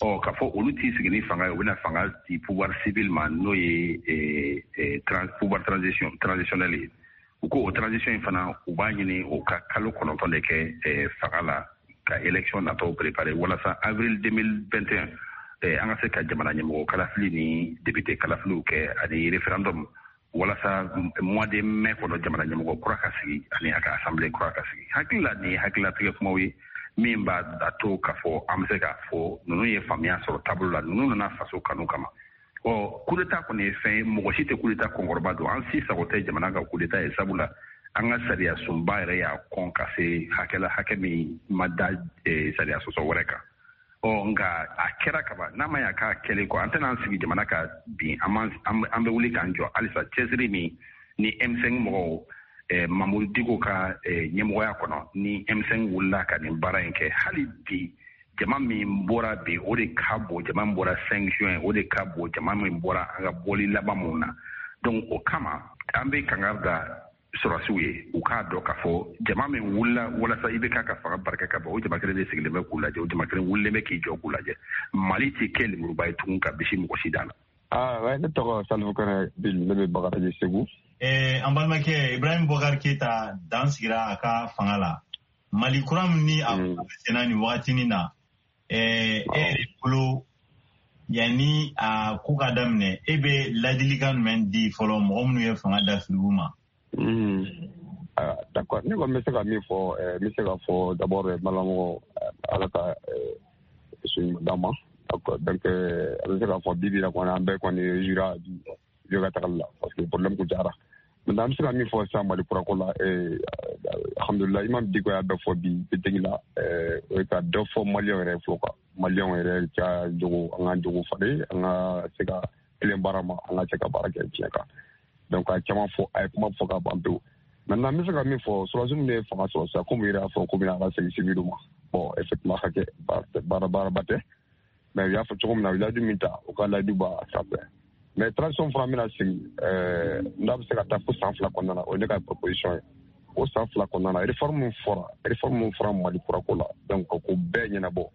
Ɔ, k'a fɔ olu t'i sigi ni fanga ye, u bɛna fanga di pouvoir civil ma, n'o ye pouvoir transitionnel ye. U ko o transition in fana, u b'a ɲini o ka kalo 9 de kɛ fanga la, ka élection natɔw préparer, walasa avril 2021 an ka se ka jamana ɲɛmɔgɔ kalafili ni député kalafiliw kɛ ani référendum, walasa mois de mai kɔnɔ jamana ɲɛmɔgɔ kura ka sigi ani a ka assemblée kura ka sigi. Hakili la, nin ye hakililatigɛ kumaw ye min b'a a to k'a fɔ an bɛ se k'a fɔ ninnu ye faamuya sɔrɔ taabolo la, ninnu nana faso kanu kama. Ɔ, coup d'état kɔni ye fɛn ye, mɔgɔ si tɛ coup d'état kɔnkɔrɔba don. An si sago tɛ jamana ka coup d'état ye, sabula an ka sariya sunba yɛrɛ y'a kɔn ka se hakɛ la, hakɛ min ma da sariya sɔsɔ wɛrɛ kan. Ɔ, nka a kɛra kaban, n'a ma ɲa k'a kɛlen kɔ, an tɛna an sigi jamana ka bin, an bɛ wuli k'an jɔ halisa. Cɛsiri min ni M5 mɔgɔw, Mamudu Diko ka ɲɛmɔgɔya kɔnɔ, ni M5 wulila ka nin baara in kɛ, hali bi jama min bɔra bi, o de ka bon jama min bɔra 5 juin, o de ka bon jama min bɔra an ka bɔli laban mun na. Donc o kama, an bɛ kangari da sɔrɔsiw ye, u k'a dɔn k'a fɔ jama min wulila walasa IBK ka fanga barika ka bɔ, o jama kelen de sigilen bɛ k'u lajɛ, o jama kelen wulilen bɛ k'i jɔ k'u lajɛ. Mali tɛ kɛ lemuruba ye tugun ka bisi mɔgɔ si da la. Ah, ne tɔgɔ Salifu Kɔnɛ Bil, ne bɛ Bagadaji, Segu. An balimakɛ Ibrahim Boubacar Keita dan sigira a ka fanga la. Mali kura min ni a senna nin wagatinin na, e yɛrɛ bolo, yanni a ko ka daminɛ, e bɛ ladilikan jumɛn di fɔlɔ mɔgɔ minnu ye fanga dafiri u ma? D'accord, ne kɔni bɛ se ka min fɔ, n bɛ se ka fɔ d'abord, malamɔgɔ, Ala ka su d'an ma. Donc a bɛ se k'a fɔ bi bi la kɔni, an bɛɛ kɔni jura bi ka tagali la, parce que problème kun cayara. Maintenant, an bɛ se ka min fɔ sisan Mali kurako la, alhamdulilah, Imam Diko y'a bɛɛ fɔ bi meeting la, o ye ka dɔ fɔ Maliyɛnw yɛrɛ fɔlɔ quoi. Maliyɛnw yɛrɛ ka jogo, an ka jogo falen, an ka se ka tilen baara ma, an ka se ka baara kɛ tiɲɛ kan. Donc a ye caman fɔ, a ye kuma fɔ ka ban pewu. Maintenant, n bɛ se ka min fɔ, sɔrɔdasi minnu ye fanga sɔrɔ sisan, komi u yɛrɛ y'a fɔ k'u bɛna ala segin civil ma. Bon, effectivement, ka kɛ baara baaraba tɛ, mais u y'a fɔ cogo min na, u ye layidu min ta, u ka layidu b'a sanfɛ. Mais transition fana bɛna sigi, n'a bɛ se ka taa fo san 2 kɔnɔna na, o ye ne ka proposition ye. O san 2 kɔnɔna na, réforme min fɔra Mali kurako la, donc k'o bɛɛ ɲɛnabɔ,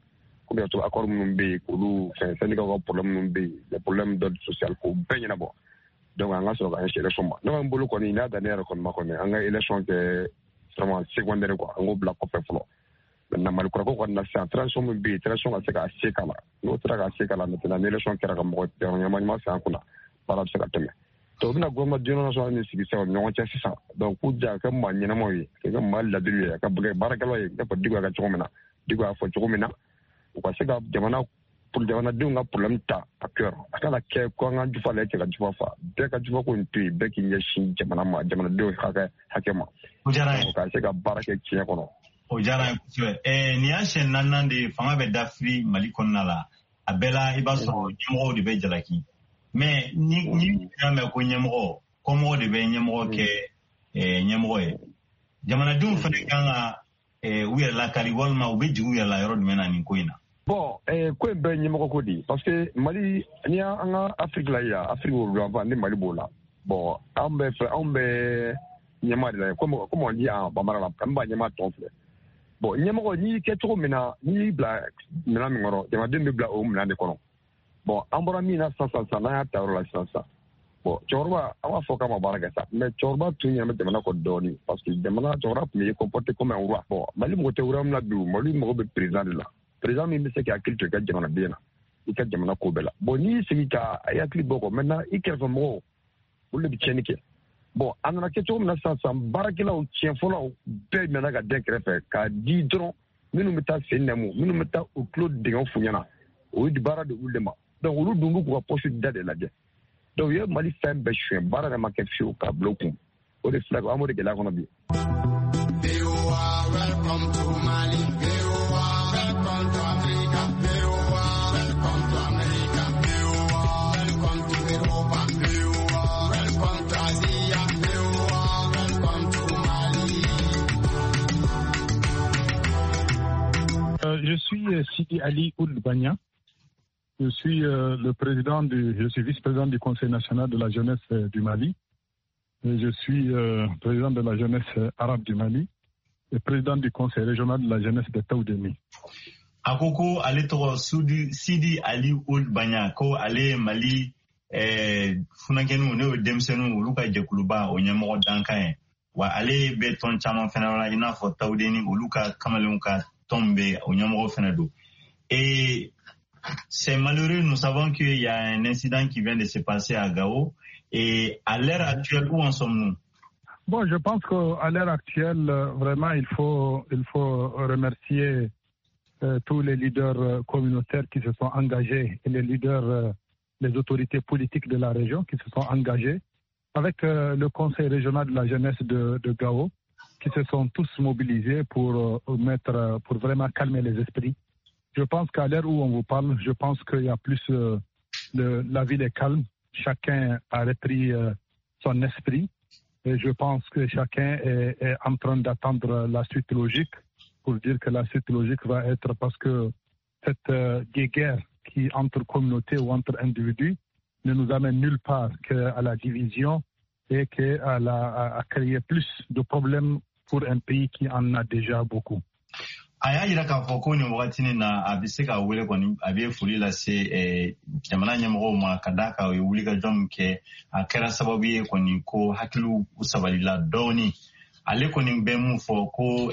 komi y'a to accord minnu bɛ yen, k'olu fɛn, syndicat ka problème minnu bɛ yen, les problèmes d'ordre social, k'o bɛɛ ɲɛnabɔ. Donc an ka sɔrɔ ka ɲɛsin élection ma. Ne kɔni bolo kɔni, n'a dan ne yɛrɛ kɔni ma kɔni, an ka élection kɛ vraiment secondaire quoi, an k'o bila kɔfɛ fɔlɔ. Maintenant, Mali kurako kɔni na sisan, transition min bɛ yen, transition ka se k'a se k'a la. N'o sera k'a se k'a la, maintenant ni élection kɛra ka mɔgɔ ɲɛma ɲuman sigi an kunna, baara bɛ se ka tɛmɛ. Donc u bɛna gouvernement d'union nationale min sigi sisan u ni ɲɔgɔn cɛ sisan, donc k'u ja ka kɛ maa ɲɛnamaw ye, ka kɛ maa ladiriw ye, ka kɛ baarakɛlaw ye, i n'a fɔ Diko y'a kɛ cogo min na, Diko y'a fɔ cogo min na, u ka se ka jamana pour jamanadenw ka problème ta à cœur. A kana kɛ ko an ka jufa la, cɛ ka jufa fa, bɛɛ ka jufa ko in to yen, bɛɛ k'i ɲɛsin jamana ma, jamanadenw hakɛ ma. O diyara n ye. Ka se ka baara kɛ tiɲɛ kɔnɔ. O diyara n ye kosɛbɛ. Nin y'a siɲɛ naaninan de ye fanga bɛ dafiri Mali kɔnɔna la. A bɛɛ la, i b'a sɔrɔ ɲɛmɔgɔw de bɛ jalaki. Mais ni y'a mɛn ko ɲɛmɔgɔ, kɔmɔgɔ de bɛ ɲɛmɔgɔ kɛ ɲɛmɔgɔ ye. Jamanadenw fana kan ka u yɛrɛ lakari, walima u bɛ jigin u yɛrɛ la yɔrɔ jumɛn na nin ko in na? Bon, ko in bɛɛ ye ɲɛmɔgɔ ko de ye, parce que Mali, n'i y'an ka Afrique la yan, Afrique worodugu ni Mali b'o la. Bon, an bɛ fɛ, anw bɛ ɲɛmaa de la, comme on dit en bambara la, an b'a ɲɛmaa tɔn filɛ. Bon, ɲɛmɔgɔ n'i y'i kɛ cogo min na, n'i y'i bila minɛn min kɔnɔ, jamanaden bɛ bila o minɛn de kɔnɔ. Bon, an bɔra min na sisan sisan, n'an y'a ta yɔrɔ la sisan sisan. Bon, cɛkɔrɔba, an b'a fɔ k'a ma baara kɛ sa, mais cɛkɔrɔba tun ɲɛ bɛ jamana kɔ dɔɔni, parce que jamana cɛkɔrɔba tun bɛ comporter comme un roi. Bon, Mali mɔgɔ tɛ roi min na bi, Mali mɔgɔ bɛ président de la. Président min bɛ se k'i hakili to i ka jamanaden na, i ka jamana ko bɛɛ la. Bon, n'i y'i sigi ka hakili bɔ kɔ, maintenant i kɛrɛfɛ mɔgɔw, olu de bɛ tiɲɛni kɛ. Bon, a nana kɛ cogo min na sisan sisan, baarakɛlaw, tiɲɛfɔlaw bɛɛ nana ka den kɛrɛfɛ k'a di dɔrɔn minnu bɛ taa sen nɛmu, minnu bɛ taa u tulo dingɛ f'u ɲɛna, o ye baara de olu de ma. Donc olu dun b'u k'u ka poste da de lajɛ. Donc u ye Mali fɛn bɛɛ suɲɛ, baara yɛrɛ ma kɛ fiyewu k'a bila u kun. O de filɛ, an b'o de gɛlɛya kɔnɔ bi. Welcome to Mali, welcome to Africa, welcome to America, welcome to Europa, welcome to Asia, welcome to Mali. Je suis Sidi Ali Ould Bagna. Je suis je suis vice-président du Conseil national de la jeunesse du Mali. Et je suis président de la jeunesse arabe du Mali et président du Conseil régional de la jeunesse de Taoudeni. A ko ko ale tɔgɔ Sidi Ali Ould Bagna, ko ale ye Mali funankɛninw, n'o ye denmisɛnninw, olu ka jɛkuluba o ɲɛmɔgɔ dankan ye. Wa ale bɛ tɔn caman fɛnɛ la, i n'a fɔ Taoudeni, olu ka kamalenw ka tɔn bɛ o ɲɛmɔgɔ fɛnɛ don. Et c'est malheureux, nous savons qu'il y a un incident qui vient de se passer à Gao. Et à l'heure actuelle, où en sommes-nous? Bon, je pense qu'à l'heure actuelle, vraiment, il faut remercier tous les leaders communautaires qui se sont engagés et les leaders, les autorités politiques de la région qui se sont engagés avec le Conseil régional de la jeunesse de Gao, qui se sont tous mobilisés pour vraiment calmer les esprits. Je pense qu'à l'heure où on vous parle, je pense qu'il y a plus la ville est calme, chacun a repris son esprit et je pense que chacun est en train d'attendre la suite logique, pour dire que la suite logique va être, parce que cette guerre qui entre communautés ou entre individus ne nous amène nulle part qu'à la division et qu'à à créer plus de problèmes pour un pays qui en a déjà beaucoup. A y'a yira k'a fɔ ko nin wagatinin na a bɛ se ka wele kɔni, a bɛ foli lase jamana ɲɛmɔgɔw ma, ka d'a kan u ye wulikajɔ min kɛ, a kɛra sababu ye kɔni ko hakiliw sabalila dɔɔni. Ale kɔni bɛ mun fɔ ko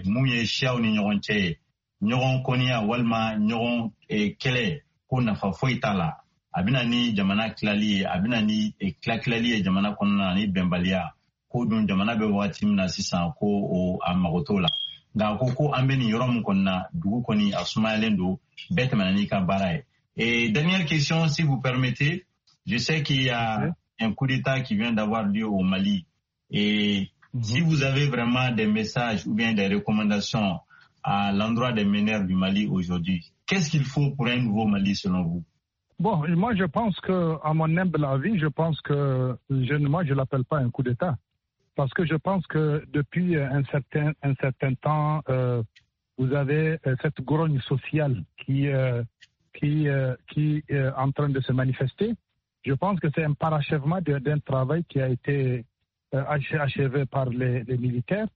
mun ye siyaw ni ɲɔgɔn cɛ ye, ɲɔgɔn kɔniya walima ɲɔgɔn kɛlɛ, ko nafa foyi t'a la. A bɛna ni jamana tilali ye, a bɛna ni tilali ye jamana kɔnɔna na ni bɛnbaliya, ko dun jamana bɛ wagati min na sisan ko a mago t'o la. Nka ko ko an bɛ nin yɔrɔ min kɔni na, dugu kɔni a sumayalen don, bɛɛ tɛmɛna n'i ka baara ye. Et dernière question, si vous permettez, je sais qu'il y a un coup d'État qui vient d'avoir lieu au Mali. Et si vous avez vraiment des messages ou bien des recommandations à l'endroit des meneurs du Mali aujourd'hui, qu'est-ce qu'il faut pour un nouveau Mali selon vous? Bon, moi je pense que, à mon humble avis, je pense que moi je l'appelle pas un coup d'État. Parce que je pense que depuis un certain temps, vous avez cette grogne sociale qui est en train de se manifester. Je pense que c'est un parachèvement d'un travail qui a été achevé par les militaires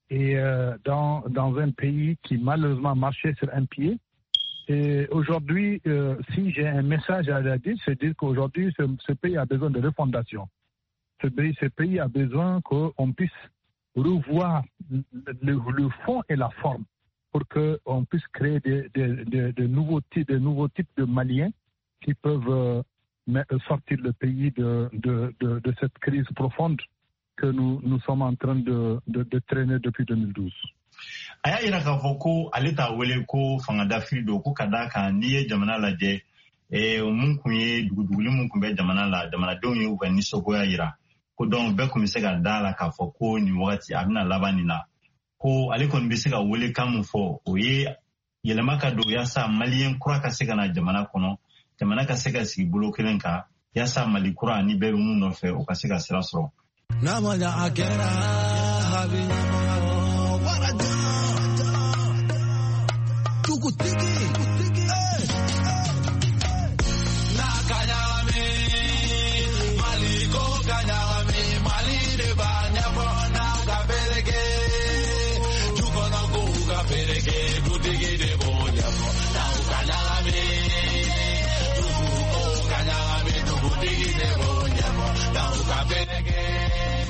et dans un pays qui malheureusement marchait sur un pied. Et aujourd'hui, si j'ai un message à dire, c'est dire qu'aujourd'hui, ce pays a besoin de refondation. Ce pays a besoin qu'on puisse revoir le fond et la forme pour qu'on puisse créer de nouveaux types de Maliens qui peuvent sortir le pays de cette crise profonde que nous sommes en train de traîner depuis 2012. A y'a yira k'a fɔ ko ale t'a wele ko fanga dafiri don, ko ka d'a kan n'i ye jamana lajɛ, mun kun ye duguduguli mun kun bɛ jamana la, jamanadenw ye u ka nisɔngoya yira, ko donc bɛɛ kun bɛ se ka da la k'a fɔ ko nin wagati a bɛna laban nin na, ko ale kɔni bɛ se ka welekan mun fɔ, o ye yɛlɛma ka don yaasa maliyɛn kura ka se ka na jamana kɔnɔ, jamana ka se ka sigi bolo kelen kan, yaasa Mali kura ni bɛɛ bɛ mun nɔfɛ o ka se ka sira sɔrɔ.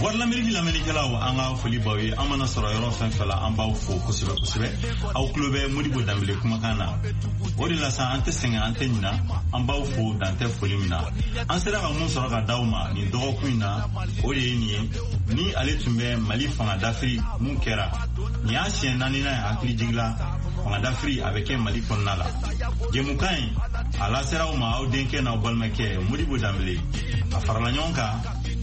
Voix de l'Amérique lamɛnnikɛlaw, an ka foli b'aw ye. An mana sɔrɔ yɔrɔ fɛn fɛn la, an b'aw fo kosɛbɛ kosɛbɛ. Aw tulo bɛ Modibo Danbele kumakan na. O de la sa, an tɛ sɛgɛn, an tɛ ɲina, an b'aw fo dan tɛ foli min na. An sera ka mun sɔrɔ ka d'aw ma nin dɔgɔkun in na, o de ye nin ye. Ni ale tun bɛ Mali fanga dafiri mun kɛra, nin y'a siɲɛ naaninan ye, hakili jigila fanga dafiri a bɛ kɛ Mali kɔnɔna la. Jɛmukan in a lasera aw ma, aw denkɛ n'aw balimakɛ Modibo Danbele. A farala ɲɔgɔn kan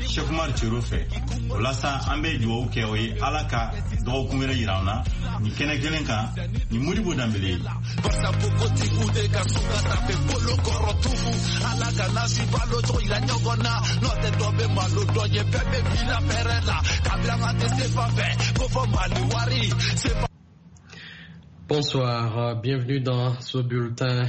Sekumar Cero fɛ. O la sa, an bɛ dugawu kɛ o ye, Ala ka dɔgɔkun wɛrɛ yira an na nin kɛnɛ kelen kan ni Modibo Danbele ye. Barisa npogotigiw de ka so ka tafe bolo kɔrɔ tugu ala ka nasi balo cogo yira ɲɔgɔn na n'o tɛ dɔ bɛ malo dɔ ye bɛɛ bɛ bila fɛrɛ la kabila an tɛ se fan fɛ ko fɔ Mali wari sefa. Bonsoir, bienvenue dans ce bulletin.